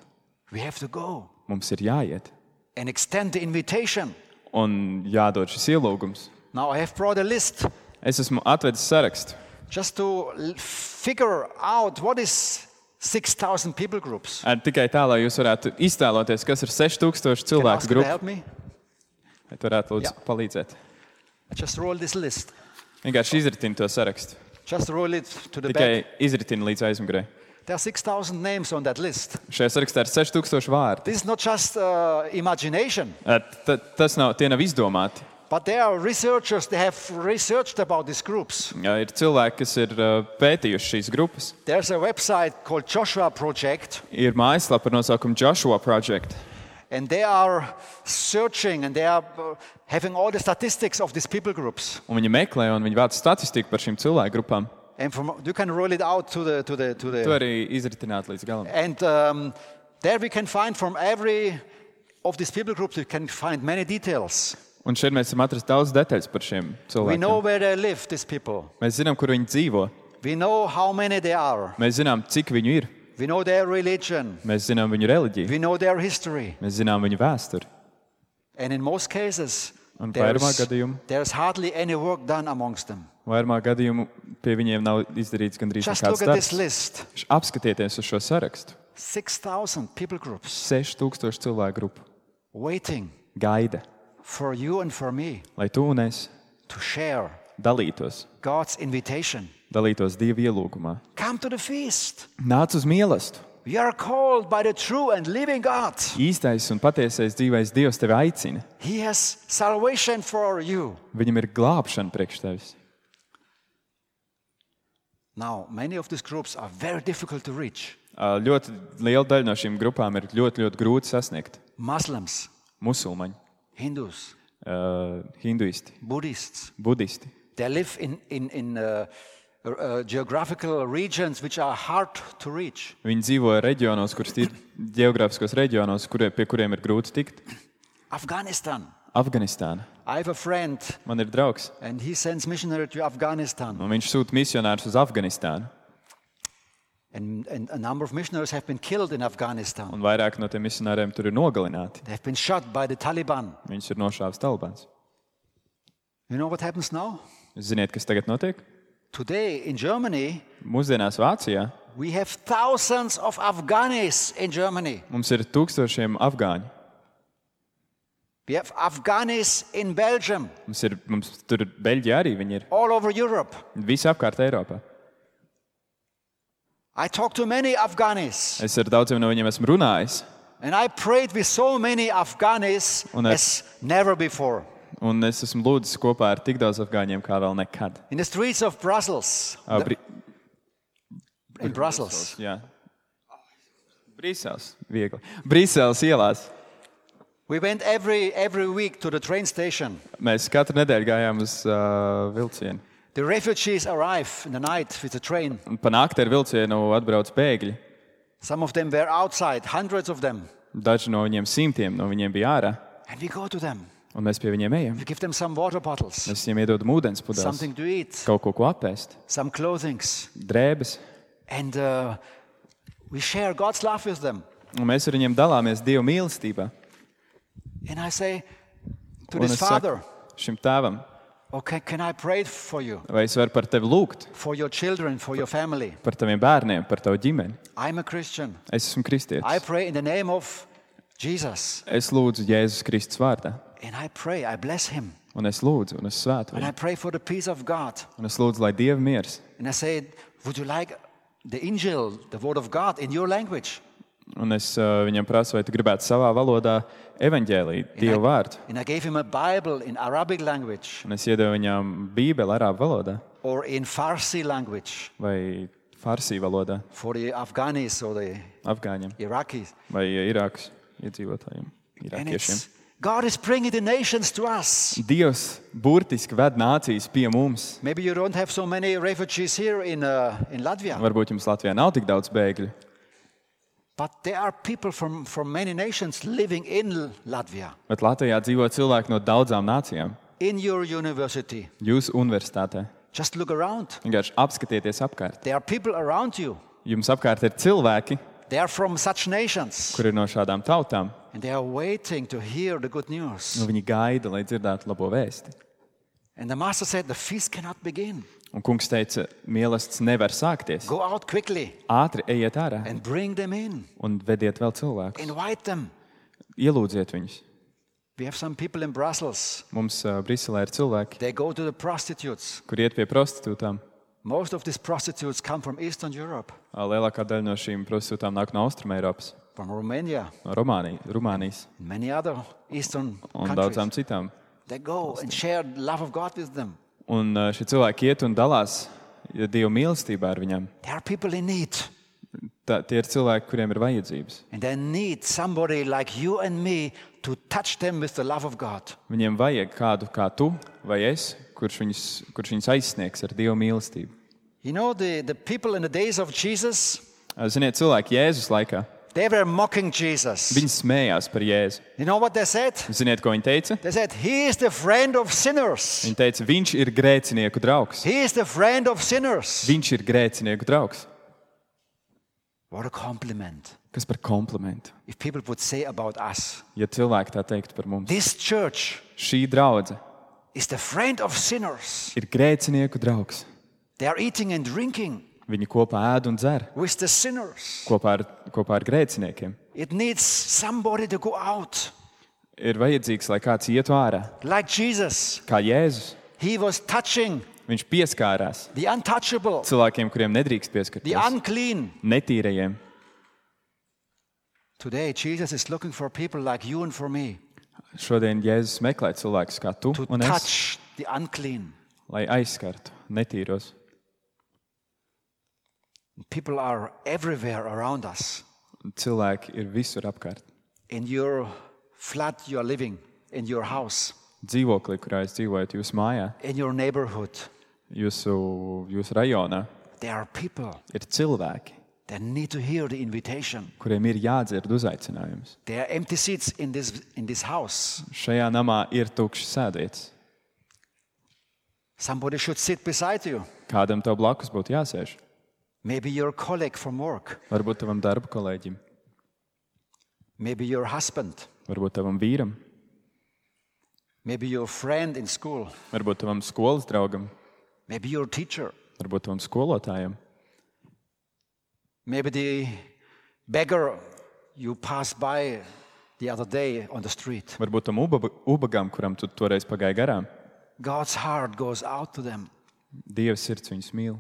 Speaker 1: We have to go
Speaker 2: Mums ir jāiet
Speaker 1: and extend the invitation.
Speaker 2: un jādod šis ielūgums.
Speaker 1: Now I have brought a list
Speaker 2: Es esmu atvedis sarakstu,
Speaker 1: just to figure out what is 6,000 people groups.
Speaker 2: tikai tā, lai jūs varētu iztēloties, kas ir 6,000
Speaker 1: Can I
Speaker 2: cilvēku
Speaker 1: ask you to
Speaker 2: grupa.
Speaker 1: help me?
Speaker 2: Vai tu varētu lūdzu palīdzēt?
Speaker 1: I just roll this list.
Speaker 2: Vienkārši izritini to sarakstu.
Speaker 1: Just roll it to the
Speaker 2: Tikai
Speaker 1: back.
Speaker 2: izritini līdz aizmugurei.
Speaker 1: There are 6,000 names on that list.
Speaker 2: Šajā sarakstā ir 6,000 vārdi.
Speaker 1: This is not just imagination.
Speaker 2: Tie nav izdomāti.
Speaker 1: But there are researchers, they have researched about these groups.
Speaker 2: Ir cilvēki, kas ir pētījuši šīs grupas.
Speaker 1: There's a website called Joshua Project.
Speaker 2: Ir mājaslapa ar nosaukumu Joshua Project.
Speaker 1: And they are searching and they are having all the statistics of these people groups.
Speaker 2: Un viņi meklē un viņi vāc statistiku par šīm cilvēku grupām.
Speaker 1: And you can roll it out to the
Speaker 2: To arī izritināt līdz galam.
Speaker 1: And there we can find from every of these people groups, we can find many details.
Speaker 2: Un šeit mēs varam atrast daudz detaļas par šiem
Speaker 1: We know
Speaker 2: cilvēkiem.
Speaker 1: where they live, these people.
Speaker 2: Mēs zinām, kur viņi dzīvo.
Speaker 1: We know how many they are.
Speaker 2: Mēs zinām, cik viņu ir.
Speaker 1: We know their religion.
Speaker 2: Mēs zinām viņu reliģiju.
Speaker 1: We know their history.
Speaker 2: Mēs zinām viņu vēsturi.
Speaker 1: And in most cases,
Speaker 2: Un vairumā gadījumu,
Speaker 1: there's hardly any work done amongst them.
Speaker 2: vairumā gadījumu pie viņiem nav izdarīts gandrīz
Speaker 1: Just
Speaker 2: nekāds
Speaker 1: look at this
Speaker 2: darbs.
Speaker 1: list.
Speaker 2: Apskatieties uz šo sarakstu.
Speaker 1: 6,000 people groups
Speaker 2: 6000 cilvēku grupu
Speaker 1: waiting
Speaker 2: gaida,
Speaker 1: for you and for me
Speaker 2: lai tu un es
Speaker 1: to share
Speaker 2: dalītos
Speaker 1: God's invitation.
Speaker 2: Dieva ielūgumā.
Speaker 1: Come to the feast.
Speaker 2: Nāc uz mīlestību.
Speaker 1: We are called by the true and living God.
Speaker 2: Īstais un patiesais dzīvais Dievs tevi aicina.
Speaker 1: He has salvation for you.
Speaker 2: Viņam ir glābšana priekš tevis.
Speaker 1: Now, many of these groups are very difficult to reach.
Speaker 2: Ļoti liela daļa no šīm grupām ir ļoti, ļoti grūti sasniegt.
Speaker 1: Muslims,
Speaker 2: Musulmaņi,
Speaker 1: Hindus,
Speaker 2: hinduisti,
Speaker 1: Buddhists.
Speaker 2: budisti.
Speaker 1: They live in geographical regions which are hard to reach.
Speaker 2: Viņi dzīvo reģionos, kurus ir geogrāfiskos reģionos, pie kuriem ir grūti tikt.
Speaker 1: Afghanistan.
Speaker 2: Afganistāna.
Speaker 1: I have a friend
Speaker 2: Man ir draugs,
Speaker 1: and he sends missionary to Afghanistan.
Speaker 2: un viņš sūta misionārus uz Afganistānu.
Speaker 1: And a number of missionaries have been killed in Afghanistan.
Speaker 2: Un vairāk no tiem misionāriem tur ir nogalināti.
Speaker 1: They have been shot by the Taliban.
Speaker 2: Viņus ir nošāvis Talibans.
Speaker 1: You know what happens now?
Speaker 2: Ziniet, kas tagad notiek?
Speaker 1: Today in Germany,
Speaker 2: Mūsdienās Vācijā
Speaker 1: we have thousands of Afghanis in Germany.
Speaker 2: mums ir tūkstošiem afgāņu.
Speaker 1: We have Afghanis in Belgium,
Speaker 2: Mums tur Beļģijā arī viņi ir.
Speaker 1: all over Europe.
Speaker 2: Visi apkārt Eiropā.
Speaker 1: I talked to many Afghanis,
Speaker 2: Es ar daudziem no viņiem esmu runājis.
Speaker 1: and I prayed with so many Afghanis
Speaker 2: Un
Speaker 1: as never before.
Speaker 2: Un es esmu lūdzis kopā ar tik daudz afgāņiem kā vēl nekad.
Speaker 1: In the streets of Brussels, in Brussels,
Speaker 2: Jā. Brīseles, viegli. Brīseles ielās.
Speaker 1: we went every week to the train station.
Speaker 2: Mēs katru nedēļu gājām uz vilcienu.
Speaker 1: The refugees arrive in the night with the train.
Speaker 2: Un pa nakti ar vilcienu atbrauc bēgļi.
Speaker 1: Some of them were outside, hundreds of them.
Speaker 2: Daži no viņiem, simtiem no viņiem bija ārā.
Speaker 1: And we go to them.
Speaker 2: Un mēs pie viņiem ejam.
Speaker 1: We give them some water bottles,
Speaker 2: Mēs viņiem iedodam ūdens pudeles,
Speaker 1: something to eat,
Speaker 2: kaut ko apēst,
Speaker 1: some clothings.
Speaker 2: drēbes.
Speaker 1: And we share God's love with them.
Speaker 2: Un mēs ar viņiem dalāmies Dieva mīlestībā.
Speaker 1: And I say to
Speaker 2: Un
Speaker 1: this
Speaker 2: es
Speaker 1: father,
Speaker 2: saku šim tēvam,
Speaker 1: okay, can I pray for you,
Speaker 2: vai es varu par tevi lūgt,
Speaker 1: for your children, for your family?
Speaker 2: par taviem bērniem, par tavu ģimeni.
Speaker 1: I'm a Christian.
Speaker 2: Es esmu
Speaker 1: I
Speaker 2: kristietis.
Speaker 1: pray in the name of Jesus.
Speaker 2: Es lūdzu Jēzus Kristus vārdā.
Speaker 1: And I pray, I bless him.
Speaker 2: Un es lūdzu, un es svētu
Speaker 1: And I
Speaker 2: viņu.
Speaker 1: pray for the peace of God.
Speaker 2: Un es lūdzu, lai Dieva miers.
Speaker 1: And I say, would you like the Injil, the word of God, in your language?
Speaker 2: Un es viņam prasu, vai tu gribētu savā valodā evaņģēlīt Dieva vārdu.
Speaker 1: And I gave him a Bible in Arabic language
Speaker 2: Un es iedevu viņam bībeli arābu valodā
Speaker 1: or in Farsi language
Speaker 2: vai farsī valodā
Speaker 1: for the Afghanis or the
Speaker 2: afgāņiem
Speaker 1: Iraqis.
Speaker 2: vai Irākas iedzīvotājiem,
Speaker 1: And
Speaker 2: irākiešiem.
Speaker 1: God is bringing the nations to us.
Speaker 2: Dievs burtiski ved nācijas pie mums.
Speaker 1: Maybe you don't have so many refugees here in Latvia,
Speaker 2: Varbūt jums Latvijā nav tik daudz bēgļu,
Speaker 1: but there are people from many nations living in Latvia,
Speaker 2: bet Latvijā dzīvo cilvēki no daudzām nācijām.
Speaker 1: in your university.
Speaker 2: Jūsu universitātē.
Speaker 1: Just look around.
Speaker 2: Vienkārši apskatieties apkārt.
Speaker 1: There are people around you.
Speaker 2: Jums apkārt ir cilvēki,
Speaker 1: They are from such nations,
Speaker 2: kur ir no šādām tautām.
Speaker 1: and they are waiting to hear the good news.
Speaker 2: Un viņi gaida, lai dzirdētu labo vēsti.
Speaker 1: And the master said, the feast cannot begin.
Speaker 2: Un kungs teica, mīlestības nevar sākties.
Speaker 1: Go out quickly
Speaker 2: Ātri ejiet ārā
Speaker 1: and bring them in.
Speaker 2: un vediet vēl cilvēkus.
Speaker 1: Invite them.
Speaker 2: Ielūdziet viņus.
Speaker 1: We have some people in Brussels.
Speaker 2: Mums Briselē ir cilvēki,
Speaker 1: They go to the prostitutes.
Speaker 2: kur iet pie prostitūtām.
Speaker 1: Most of these prostitutes come from Eastern Europe,
Speaker 2: Lielākā daļa no šīm prostitūtām nāk no Austrumeiropas,
Speaker 1: from Romania,
Speaker 2: no Rumānijas
Speaker 1: and many other Eastern
Speaker 2: un
Speaker 1: countries.
Speaker 2: daudzām citām
Speaker 1: They go and share the love of God with them.
Speaker 2: Un šie cilvēki iet un dalās Dieva mīlestībā ar viņiem.
Speaker 1: There are people in need.
Speaker 2: Tie ir cilvēki, kuriem ir vajadzības.
Speaker 1: And they need somebody like you and me to touch them with the love of God.
Speaker 2: Viņiem vajag kādu kā tu vai es, kurš viņus aizsniegs ar Dieva mīlestību.
Speaker 1: You know, the people in the days of Jesus,
Speaker 2: Ziniet, cilvēki Jēzus laikā,
Speaker 1: they were mocking Jesus.
Speaker 2: viņi smējās par Jēzu.
Speaker 1: You know what they said?
Speaker 2: Ziniet, ko viņi teica?
Speaker 1: They said, he is the friend of sinners.
Speaker 2: Viņi teica, viņš ir grēcinieku draugs.
Speaker 1: He is the friend of sinners.
Speaker 2: Viņš ir grēcinieku draugs.
Speaker 1: What a compliment.
Speaker 2: Kas par komplimentu?
Speaker 1: If people would say about us,
Speaker 2: Ja cilvēki tā teiktu par mums.
Speaker 1: this church
Speaker 2: Šī draudze
Speaker 1: is the friend of sinners.
Speaker 2: ir grēcinieku draugs.
Speaker 1: They are eating and drinking
Speaker 2: Viņi kopā ēd un dzer.
Speaker 1: with the sinners.
Speaker 2: Kopā ar grēciniekiem.
Speaker 1: It needs somebody to go out.
Speaker 2: Ir vajadzīgs, lai kāds ietu ārā.
Speaker 1: Like Jesus.
Speaker 2: Kā Jēzus.
Speaker 1: He was touching
Speaker 2: Viņš pieskārās
Speaker 1: the untouchable,
Speaker 2: cilvēkiem, kuriem nedrīkst
Speaker 1: the
Speaker 2: pieskarties.
Speaker 1: unclean.
Speaker 2: Netīrajiem.
Speaker 1: Today, Jesus is looking for people like you and for me
Speaker 2: Šodien Jēzus meklē cilvēkus kā tu
Speaker 1: to
Speaker 2: un es,
Speaker 1: touch the unclean.
Speaker 2: lai aizskartu netīros.
Speaker 1: People are everywhere around us.
Speaker 2: Cilvēki ir visur apkārt.
Speaker 1: In your flat you are living, in your house,
Speaker 2: Dzīvoklī, kurā jūs dzīvojat, jūsu mājā,
Speaker 1: in your neighborhood,
Speaker 2: jūsu rajonā,
Speaker 1: there are people
Speaker 2: ir cilvēki,
Speaker 1: that need to hear the invitation.
Speaker 2: kuriem ir jādzird uzaicinājums.
Speaker 1: There are empty seats in this house.
Speaker 2: Šajā namā ir tukšs sēdvietas.
Speaker 1: Somebody should sit beside you.
Speaker 2: Kādam tev blakus būtu jāsēž?
Speaker 1: Maybe your colleague from work.
Speaker 2: Varbūt tavam darba kolēģim,
Speaker 1: Maybe your husband.
Speaker 2: varbūt tavam vīram,
Speaker 1: Maybe your friend in school.
Speaker 2: varbūt tavam skolas draugam,
Speaker 1: Maybe your teacher.
Speaker 2: varbūt tavam skolotājam,
Speaker 1: Maybe the beggar you passed by the other day on the street.
Speaker 2: varbūt tam ubagam, kuram tu toreiz pagāji garām.
Speaker 1: God's heart goes out to them.
Speaker 2: Dieva sirds viņus mīl.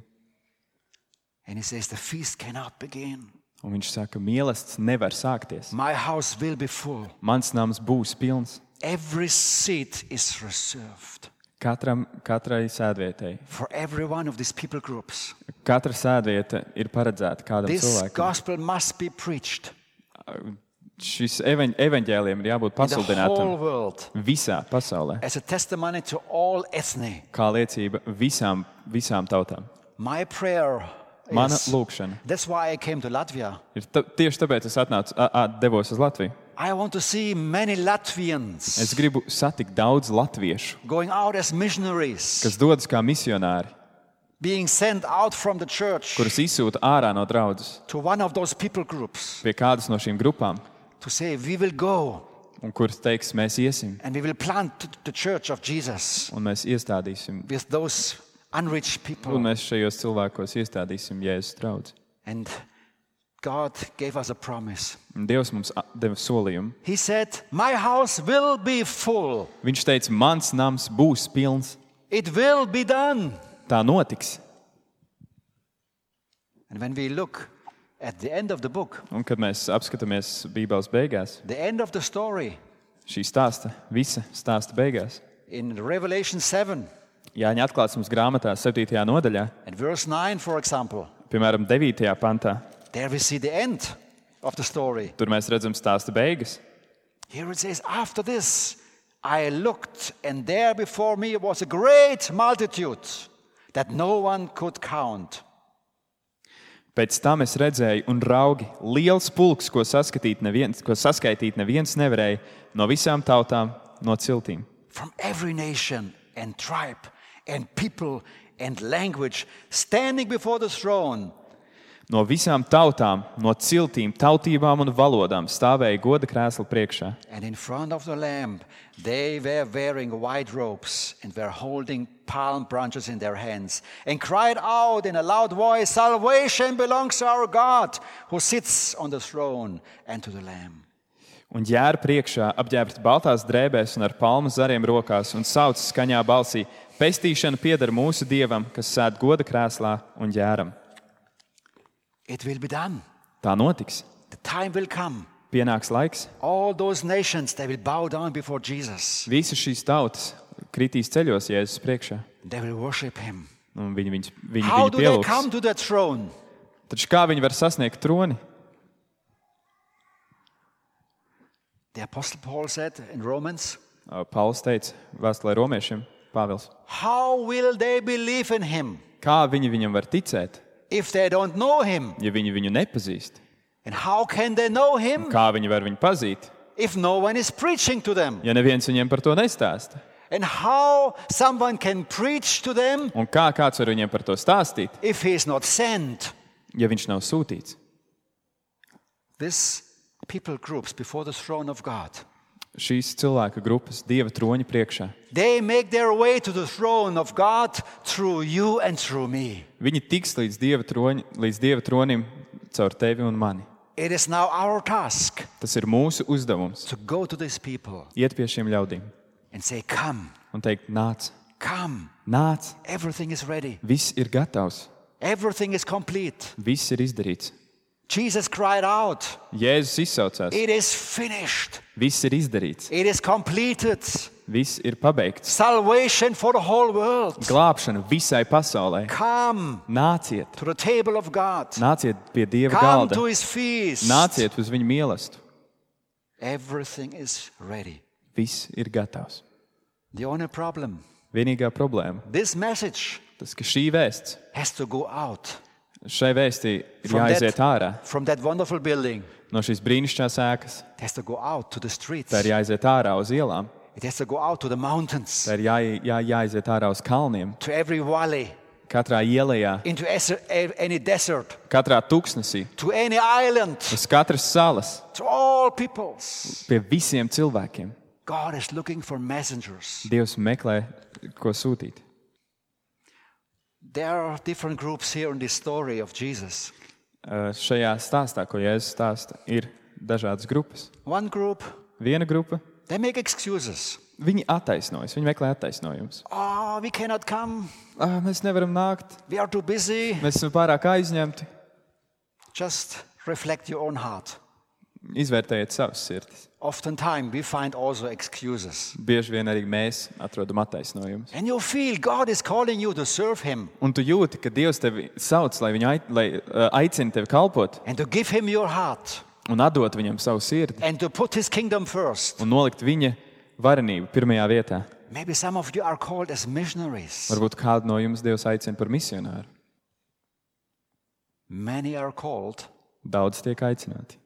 Speaker 1: And he says, the feast cannot begin.
Speaker 2: Un viņš saka, mīlestības nevar sākties.
Speaker 1: My house will be full.
Speaker 2: Mans nams būs pilns.
Speaker 1: Every seat is reserved
Speaker 2: Katrai sēdvietai.
Speaker 1: for every one of these people groups.
Speaker 2: Katra sēdvieta ir paredzēta kādam
Speaker 1: This
Speaker 2: cilvēkam.
Speaker 1: gospel must be preached
Speaker 2: Šis evaņģēliem ir jābūt
Speaker 1: in the whole
Speaker 2: pasludinātam
Speaker 1: world
Speaker 2: visā pasaulē.
Speaker 1: as a testimony to all ethnic.
Speaker 2: Kā liecība visām tautām.
Speaker 1: My prayer
Speaker 2: Mana
Speaker 1: is,
Speaker 2: lūkšana
Speaker 1: that's why I came to Latvia.
Speaker 2: ir tieši tāpēc es devos uz Latviju.
Speaker 1: I want to see many Latvians
Speaker 2: Es gribu satikt daudz latviešu,
Speaker 1: going out as missionaries,
Speaker 2: kas dodas kā misionāri,
Speaker 1: being sent out from the church
Speaker 2: kurus izsūta ārā no draudzes
Speaker 1: to one of those people groups
Speaker 2: pie kādas no šīm grupām,
Speaker 1: to say, we will go
Speaker 2: un kuras teiks, mēs iesim
Speaker 1: and we will plant the church of Jesus
Speaker 2: un mēs iestādīsim,
Speaker 1: with those unreached
Speaker 2: un
Speaker 1: people.
Speaker 2: mēs šajos cilvēkos iestādīsim Jēzus draudzi.
Speaker 1: And God gave us a promise.
Speaker 2: Un Dievs mums deva solījumu.
Speaker 1: He said, my house will be full.
Speaker 2: Viņš teica, mans nams būs pilns.
Speaker 1: It will be done.
Speaker 2: Tā notiks.
Speaker 1: And when we look at the end of the book,
Speaker 2: Un kad mēs apskatāmies Bībeles beigās,
Speaker 1: the end of the story
Speaker 2: šī visa stāsta beigās,
Speaker 1: in Revelation 7
Speaker 2: Jāņa atklāsmes grāmatā 7. nodaļā,
Speaker 1: and verse 9, for example,
Speaker 2: piemēram, 9. pantā,
Speaker 1: there we see the end of the story.
Speaker 2: tur mēs redzam stāsta beigas.
Speaker 1: Here it says, after this I looked, and there before me was a great multitude that no one could count.
Speaker 2: Pēc tam es redzēju un raugi liels pulks, ko saskaitīt neviens nevarēja, no visām tautām, no ciltīm.
Speaker 1: From every nation and tribe and people and language, standing before the throne.
Speaker 2: No visām tautām, no ciltīm, tautībām un valodām stāvēja goda krēsla priekšā.
Speaker 1: And in front of the Lamb, they were wearing white robes and were holding palm branches in their hands and cried out in a loud voice, salvation belongs to our God who sits on the throne and to the Lamb.
Speaker 2: Un ģēra priekšā apģērbti baltās drēbēs un ar palmu zariem rokās un sauc skaņā balsī: pestīšana pieder mūsu Dievam, kas sēd goda krēslā un ģēram.
Speaker 1: It will be done.
Speaker 2: Tā notiks.
Speaker 1: The time will come.
Speaker 2: Pienāks laiks.
Speaker 1: All those nations, they will bow down before Jesus.
Speaker 2: Visas šīs tautas kritīs ceļos Jēzus priekšā.
Speaker 1: They will worship him.
Speaker 2: Un viņi
Speaker 1: How do they
Speaker 2: pielūgs.
Speaker 1: come to that throne?
Speaker 2: Taču kā viņi var sasniegt troni?
Speaker 1: The Apostle Paul said in Romans,
Speaker 2: Pauls teica vēstulē romiešiem, Pāvils.
Speaker 1: how will they believe in him
Speaker 2: Kā viņi viņam var ticēt,
Speaker 1: if they don't know him?
Speaker 2: ja viņi viņu nepazīst?
Speaker 1: And how can they know him
Speaker 2: Kā viņi var viņu pazīt,
Speaker 1: if no one is preaching to them?
Speaker 2: ja neviens viņiem par to nestāsta?
Speaker 1: And how someone can preach to them
Speaker 2: Un kā kāds var viņiem par to stāstīt,
Speaker 1: if he is not sent?
Speaker 2: ja viņš nav sūtīts?
Speaker 1: This people groups before the throne of God,
Speaker 2: Šīs cilvēka grupas Dieva troņa priekšā.
Speaker 1: they make their way to the throne of God through you and through me.
Speaker 2: Viņi tiks līdz Dieva tronim caur tevi un mani.
Speaker 1: It is now our task
Speaker 2: Tas ir mūsu uzdevums.
Speaker 1: to go to these people
Speaker 2: Iet pie šiem ļaudīm
Speaker 1: and say, come,
Speaker 2: un teikt, nāc,
Speaker 1: come,
Speaker 2: nāc,
Speaker 1: everything is ready.
Speaker 2: viss ir gatavs,
Speaker 1: Everything is complete.
Speaker 2: viss ir izdarīts.
Speaker 1: Jesus cried out,
Speaker 2: Jēzus izsaucās,
Speaker 1: it is finished.
Speaker 2: viss ir izdarīts,
Speaker 1: It is completed.
Speaker 2: viss ir pabeigts.
Speaker 1: Salvation for the whole world.
Speaker 2: Glābšana visai pasaulē.
Speaker 1: Come
Speaker 2: Nāciet,
Speaker 1: to the table of God.
Speaker 2: nāciet pie Dieva
Speaker 1: Come
Speaker 2: galda,
Speaker 1: to his feast.
Speaker 2: nāciet uz viņa mīlestību.
Speaker 1: Everything is ready.
Speaker 2: Viss ir gatavs.
Speaker 1: The only problem,
Speaker 2: Vienīgā problēma,
Speaker 1: this message
Speaker 2: tas, ka šī vēsts,
Speaker 1: has to go out
Speaker 2: šai vēstī ir
Speaker 1: From
Speaker 2: jāiziet
Speaker 1: that-
Speaker 2: ārā
Speaker 1: from that wonderful building.
Speaker 2: no šīs brīnišķīgās ēkas.
Speaker 1: It has to go out to the streets.
Speaker 2: Tā ir jāiziet ārā uz ielām,
Speaker 1: It has to go out to the mountains,
Speaker 2: tā ir jāiziet ārā uz kalniem,
Speaker 1: to every valley,
Speaker 2: katrā ielā,
Speaker 1: into any desert,
Speaker 2: katrā tuksnesī,
Speaker 1: to any island,
Speaker 2: uz katras salas,
Speaker 1: to all peoples.
Speaker 2: pie visiem cilvēkiem.
Speaker 1: God is looking for messengers.
Speaker 2: Dievs meklē, ko sūtīt.
Speaker 1: There are different groups here in this story of Jesus.
Speaker 2: Šajā stāstā, ko Jēzus stāsta, ir dažādas grupas.
Speaker 1: One group,
Speaker 2: Viena grupa,
Speaker 1: they make excuses.
Speaker 2: viņi attaisnojas, viņi meklē attaisnojumus.
Speaker 1: Oh, we cannot come.
Speaker 2: Mēs nevaram nākt,
Speaker 1: We are too busy.
Speaker 2: mēs esam pārāk aizņemti.
Speaker 1: Just reflect your own heart.
Speaker 2: Izvērtējiet savas sirdis.
Speaker 1: Oftentimes we find also excuses.
Speaker 2: Bieži vien arī mēs atrodam attaisnojumus.
Speaker 1: And you feel God is calling you to serve Him
Speaker 2: Un tu jūti, ka Dievs tevi sauc, lai aicina tevi kalpot
Speaker 1: and to give Him your heart
Speaker 2: un atdot viņam savu sirdi
Speaker 1: and to put His kingdom first.
Speaker 2: un nolikt viņa varenību pirmajā vietā.
Speaker 1: Maybe some of you are called as missionaries.
Speaker 2: Varbūt kādu no jums Dievs aicina par misionāru.
Speaker 1: Many are called
Speaker 2: Daudz tiek aicināti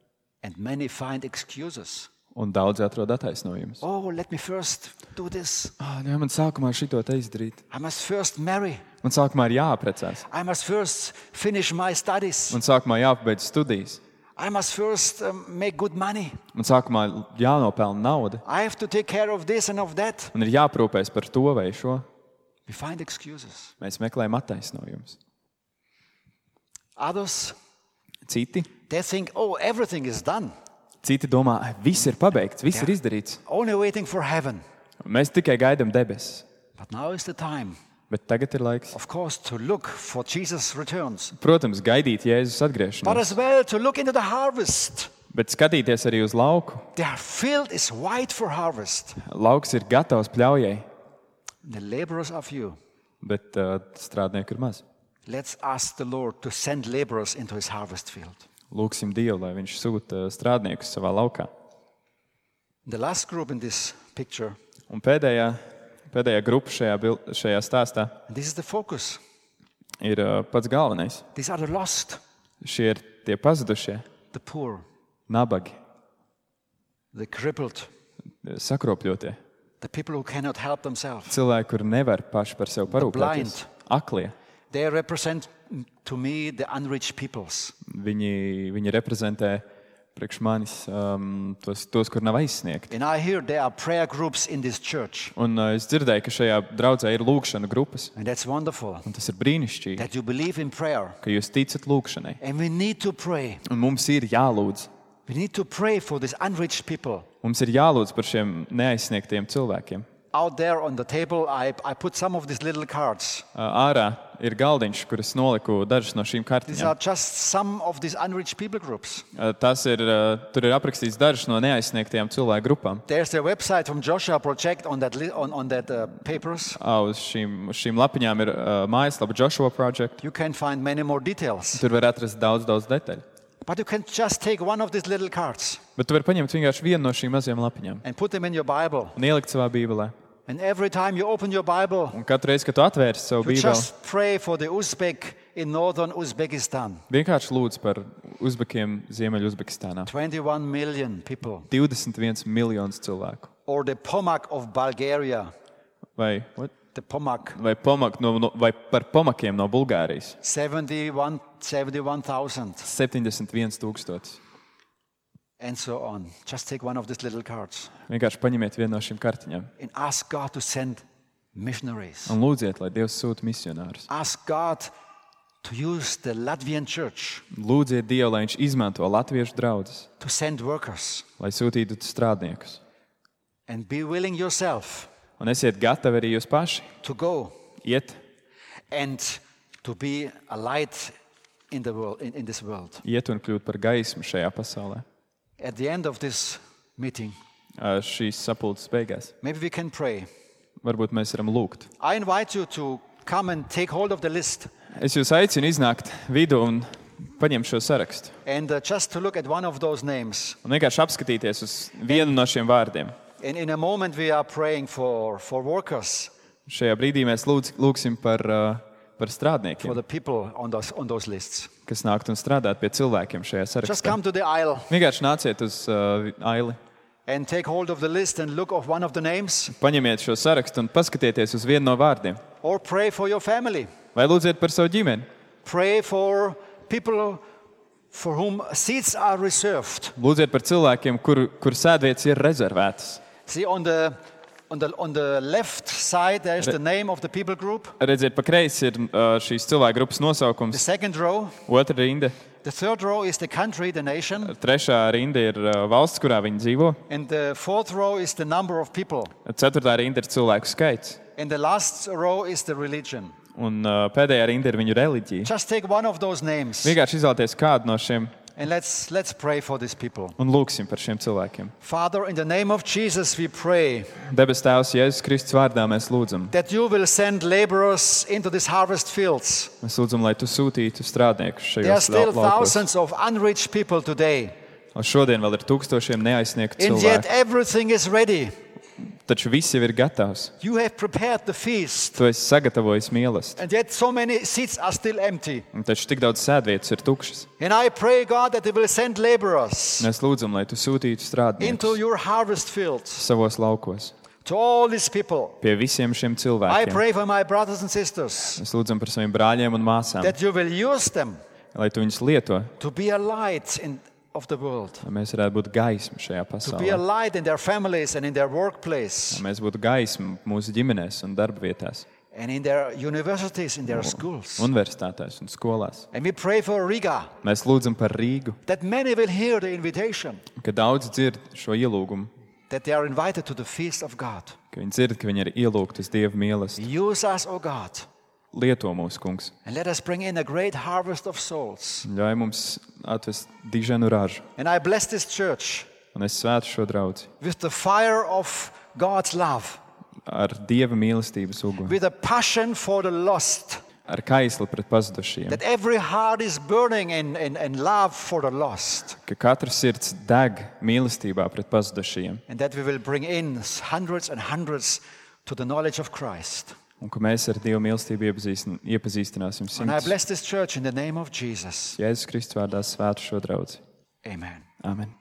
Speaker 1: and many find excuses.
Speaker 2: un daudz atrod attaisnojumus.
Speaker 1: Oh, let me first do this.
Speaker 2: Man sākumā šito te izdarīt.
Speaker 1: I must first marry.
Speaker 2: Man sākumā ir jāaprecās.
Speaker 1: I must first finish my studies.
Speaker 2: Man sākumā jāpabeidz studijas.
Speaker 1: I must first make good money.
Speaker 2: Man sākumā jānopelna nauda.
Speaker 1: I have to take care of this and of that.
Speaker 2: Man ir jāprūpēs par to vai šo.
Speaker 1: We find excuses.
Speaker 2: Mēs meklējam attaisnojumus.
Speaker 1: Others,
Speaker 2: Citi
Speaker 1: they think, oh, everything is done.
Speaker 2: domā, viss ir pabeigts, viss ir izdarīts.
Speaker 1: Only waiting for heaven.
Speaker 2: Mēs tikai gaidām debesis.
Speaker 1: But now is the time,
Speaker 2: Bet tagad ir laiks,
Speaker 1: of course, to look for Jesus' returns.
Speaker 2: protams, gaidīt Jēzus
Speaker 1: But
Speaker 2: atgriešanos.
Speaker 1: as well to look into the harvest.
Speaker 2: Bet skatīties arī uz lauku.
Speaker 1: Their field is white for harvest.
Speaker 2: Lauks ir gatavs pļaujai,
Speaker 1: The laborers are few.
Speaker 2: bet strādnieku ir maz.
Speaker 1: Let's ask the Lord to send laborers into his harvest field.
Speaker 2: Lūksim Dievu, lai viņš sūta strādniekus savā laukā.
Speaker 1: The last group in this picture,
Speaker 2: Un pēdējā grupa šajā stāstā
Speaker 1: and this is the focus.
Speaker 2: ir pats galvenais.
Speaker 1: These are the lost,
Speaker 2: Šie ir tie pazudušie,
Speaker 1: the poor,
Speaker 2: nabagi,
Speaker 1: the crippled,
Speaker 2: sakropļotie,
Speaker 1: the people who cannot help themselves.
Speaker 2: cilvēki, kuri nevar paši par sevi parūpēties,
Speaker 1: blind.
Speaker 2: aklie.
Speaker 1: They represent to me the unreached peoples.
Speaker 2: Viņi reprezentē priekš manis tos, kur nav aizsniegti.
Speaker 1: And I hear there are prayer groups in this church.
Speaker 2: Un es dzirdēju, ka šajā draudzē ir lūkšana grupas.
Speaker 1: And that's wonderful
Speaker 2: Un tas ir brīnišķīgi,
Speaker 1: that you believe in prayer.
Speaker 2: ka jūs ticat lūkšanai.
Speaker 1: And we need to pray.
Speaker 2: Un mums ir jālūdz.
Speaker 1: We need to pray for these unreached people.
Speaker 2: Mums ir jālūdz par šiem neaizsniegtiem cilvēkiem.
Speaker 1: Out there on the table, I put some of these little cards.
Speaker 2: Ārā ir galdiņš, kur es noliku dažas no šīm
Speaker 1: These are
Speaker 2: kartiņām.
Speaker 1: just some of these unreached people groups.
Speaker 2: Tur ir aprakstīts dažas no neaizsniegtajām cilvēku grupām.
Speaker 1: There's a website from Joshua Project on that papers.
Speaker 2: Uz šīm lapiņām ir mājaslapa Joshua Project.
Speaker 1: You can find many more details.
Speaker 2: Tur var atrast daudz detaļu.
Speaker 1: But you can just take one of these little cards
Speaker 2: Bet tu vari paņemt vienkārši vienu no šīm mazajām lapiņām
Speaker 1: and put them in your Bible.
Speaker 2: un ielikt savā bībelē.
Speaker 1: And every time you open your Bible,
Speaker 2: Un katru reizi, kad tu atvērsi savu
Speaker 1: you
Speaker 2: bībeli,
Speaker 1: just pray for the Uzbek in northern Uzbekistan.
Speaker 2: vienkārši lūdz par uzbekiem Ziemeļu Uzbekistānā.
Speaker 1: 21 million people.
Speaker 2: 21 miljonus cilvēku.
Speaker 1: Or the Pomak of Bulgaria.
Speaker 2: Vai
Speaker 1: The Pomak.
Speaker 2: vai par pomakiem no Bulgārijas.
Speaker 1: 71,000.
Speaker 2: 71,000.
Speaker 1: And so on. Just take one of these little cards
Speaker 2: Vienkārši paņemiet vienu no šīm kartiņām
Speaker 1: and ask God to send missionaries.
Speaker 2: un lūdziet, lai Dievs sūta misionārus.
Speaker 1: Ask God to use the Latvian church
Speaker 2: Lūdziet Dievu, lai Viņš izmanto latviešu draudzes,
Speaker 1: to send workers.
Speaker 2: lai sūtītu strādniekus.
Speaker 1: And be willing yourself
Speaker 2: Un esiet gatavi arī jūs paši
Speaker 1: to go
Speaker 2: iet
Speaker 1: and to be a light in the world, in this world.
Speaker 2: un kļūt par gaismu šajā pasaulē.
Speaker 1: At the end of this meeting,
Speaker 2: Šīs sapulces beigās.
Speaker 1: maybe we can pray.
Speaker 2: Varbūt mēs varam lūgt.
Speaker 1: I invite you to come and take hold of the list
Speaker 2: Es jūs aicinu iznākt vidū un paņemt šo sarakstu.
Speaker 1: and just to look at one of those names.
Speaker 2: Un vienkārši apskatīties uz vienu no šiem vārdiem.
Speaker 1: And in a moment we are praying for workers,
Speaker 2: Šajā brīdī mēs lūgsim par
Speaker 1: for
Speaker 2: strādniekiem,
Speaker 1: the people on those lists.
Speaker 2: kas nāktu un strādāt pie cilvēkiem šajā
Speaker 1: Just
Speaker 2: sarakstā.
Speaker 1: come to the aisle
Speaker 2: Vienkārši nāciet uz aili,
Speaker 1: and take hold of the list and look of one of the names,
Speaker 2: paņemiet šo sarakstu un paskatieties uz vienu no vārdiem.
Speaker 1: or pray for your family.
Speaker 2: Vai lūdziet par savu ģimeni.
Speaker 1: Pray for people for whom seats are reserved.
Speaker 2: Lūdziet par cilvēkiem, kur sēdvietas ir rezervētas.
Speaker 1: See, on the left side there is the name of the people group.
Speaker 2: Redziet, pa kreisi ir šīs cilvēku grupas
Speaker 1: The
Speaker 2: nosaukums.
Speaker 1: second row,
Speaker 2: Otra rinda,
Speaker 1: the third row is the country, the nation,
Speaker 2: trešā rinda ir valsts, kurā viņi dzīvo.
Speaker 1: and the fourth row is the number of people,
Speaker 2: Ceturtā rinda ir cilvēku skaits.
Speaker 1: and the last row is the religion.
Speaker 2: Un pēdējā rinda ir viņu reliģija.
Speaker 1: Just take one of those names
Speaker 2: Vienkārši izvēlēties kādu no šiem
Speaker 1: and let's pray for these people.
Speaker 2: un lūgsim par šiem cilvēkiem.
Speaker 1: Father, in the name of Jesus, we pray
Speaker 2: Debes Tēvs, Jēzus Kristus vārdā mēs lūdzam.
Speaker 1: that you will send laborers into these harvest fields.
Speaker 2: Mēs lūdzam, lai tu sūtītu strādniekus
Speaker 1: There are
Speaker 2: šajos
Speaker 1: still
Speaker 2: laukos.
Speaker 1: thousands of unreached people today,
Speaker 2: Un šodien vēl ir tūkstošiem neaizsniegtu
Speaker 1: and yet
Speaker 2: cilvēku.
Speaker 1: everything is ready.
Speaker 2: Taču viss jau ir gatavs.
Speaker 1: You have prepared the feast,
Speaker 2: Tu esi sagatavojis mīlestību.
Speaker 1: and yet so many seats are still empty.
Speaker 2: Taču tik daudz sēdvietas ir tukšas.
Speaker 1: And I pray, God, that they will send laborers
Speaker 2: Mēs lūdzam, lai tu sūtītu
Speaker 1: into
Speaker 2: strādniekus
Speaker 1: your harvest fields
Speaker 2: savos laukos.
Speaker 1: to all these people.
Speaker 2: Pie visiem šiem
Speaker 1: I
Speaker 2: cilvēkiem.
Speaker 1: pray for my brothers and sisters
Speaker 2: Mēs lūdzam par saviem brāļiem un māsām,
Speaker 1: that you will use them
Speaker 2: lai tu viņus lieto,
Speaker 1: to be a light of the world,
Speaker 2: lai mēs varētu būt gaisma šajā
Speaker 1: to be a
Speaker 2: pasaulē.
Speaker 1: light in their families and in their workplace
Speaker 2: Lai mēs būtu gaisma mūsu ģimenēs un darba vietās,
Speaker 1: and in their universities, in their schools.
Speaker 2: universitātēs un skolās.
Speaker 1: And we pray for Riga,
Speaker 2: Mēs lūdzam par Rīgu,
Speaker 1: that many will hear the invitation,
Speaker 2: ka daudz dzird šo ielūgumu,
Speaker 1: that they are invited to the feast of God.
Speaker 2: ka viņi dzird, ka viņi ir ielūgti uz Dieva mīlestību.
Speaker 1: Use us, O God,
Speaker 2: Lieto mūsu kungs,
Speaker 1: and let us bring in a great harvest of souls.
Speaker 2: ļauj mums atvest diženu ražu.
Speaker 1: And I bless this church
Speaker 2: Un es svētu šo draudzi
Speaker 1: with the fire of God's love,
Speaker 2: ar Dieva mīlestības uguni,
Speaker 1: with a passion for the lost,
Speaker 2: ar kaisli pret pazudušajiem,
Speaker 1: that every heart is burning in love for the lost,
Speaker 2: ka katrs sirds deg mīlestībā pret pazudušajiem,
Speaker 1: and that we will bring in hundreds and hundreds to the knowledge of Christ.
Speaker 2: un ka mēs ar Dieva mīlestību iepazīstināsim
Speaker 1: And I
Speaker 2: simtus.
Speaker 1: bless this church in the name of Jesus.
Speaker 2: Jēzus Kristus vārdā svētu šo draudzi.
Speaker 1: Amen.
Speaker 2: Amen.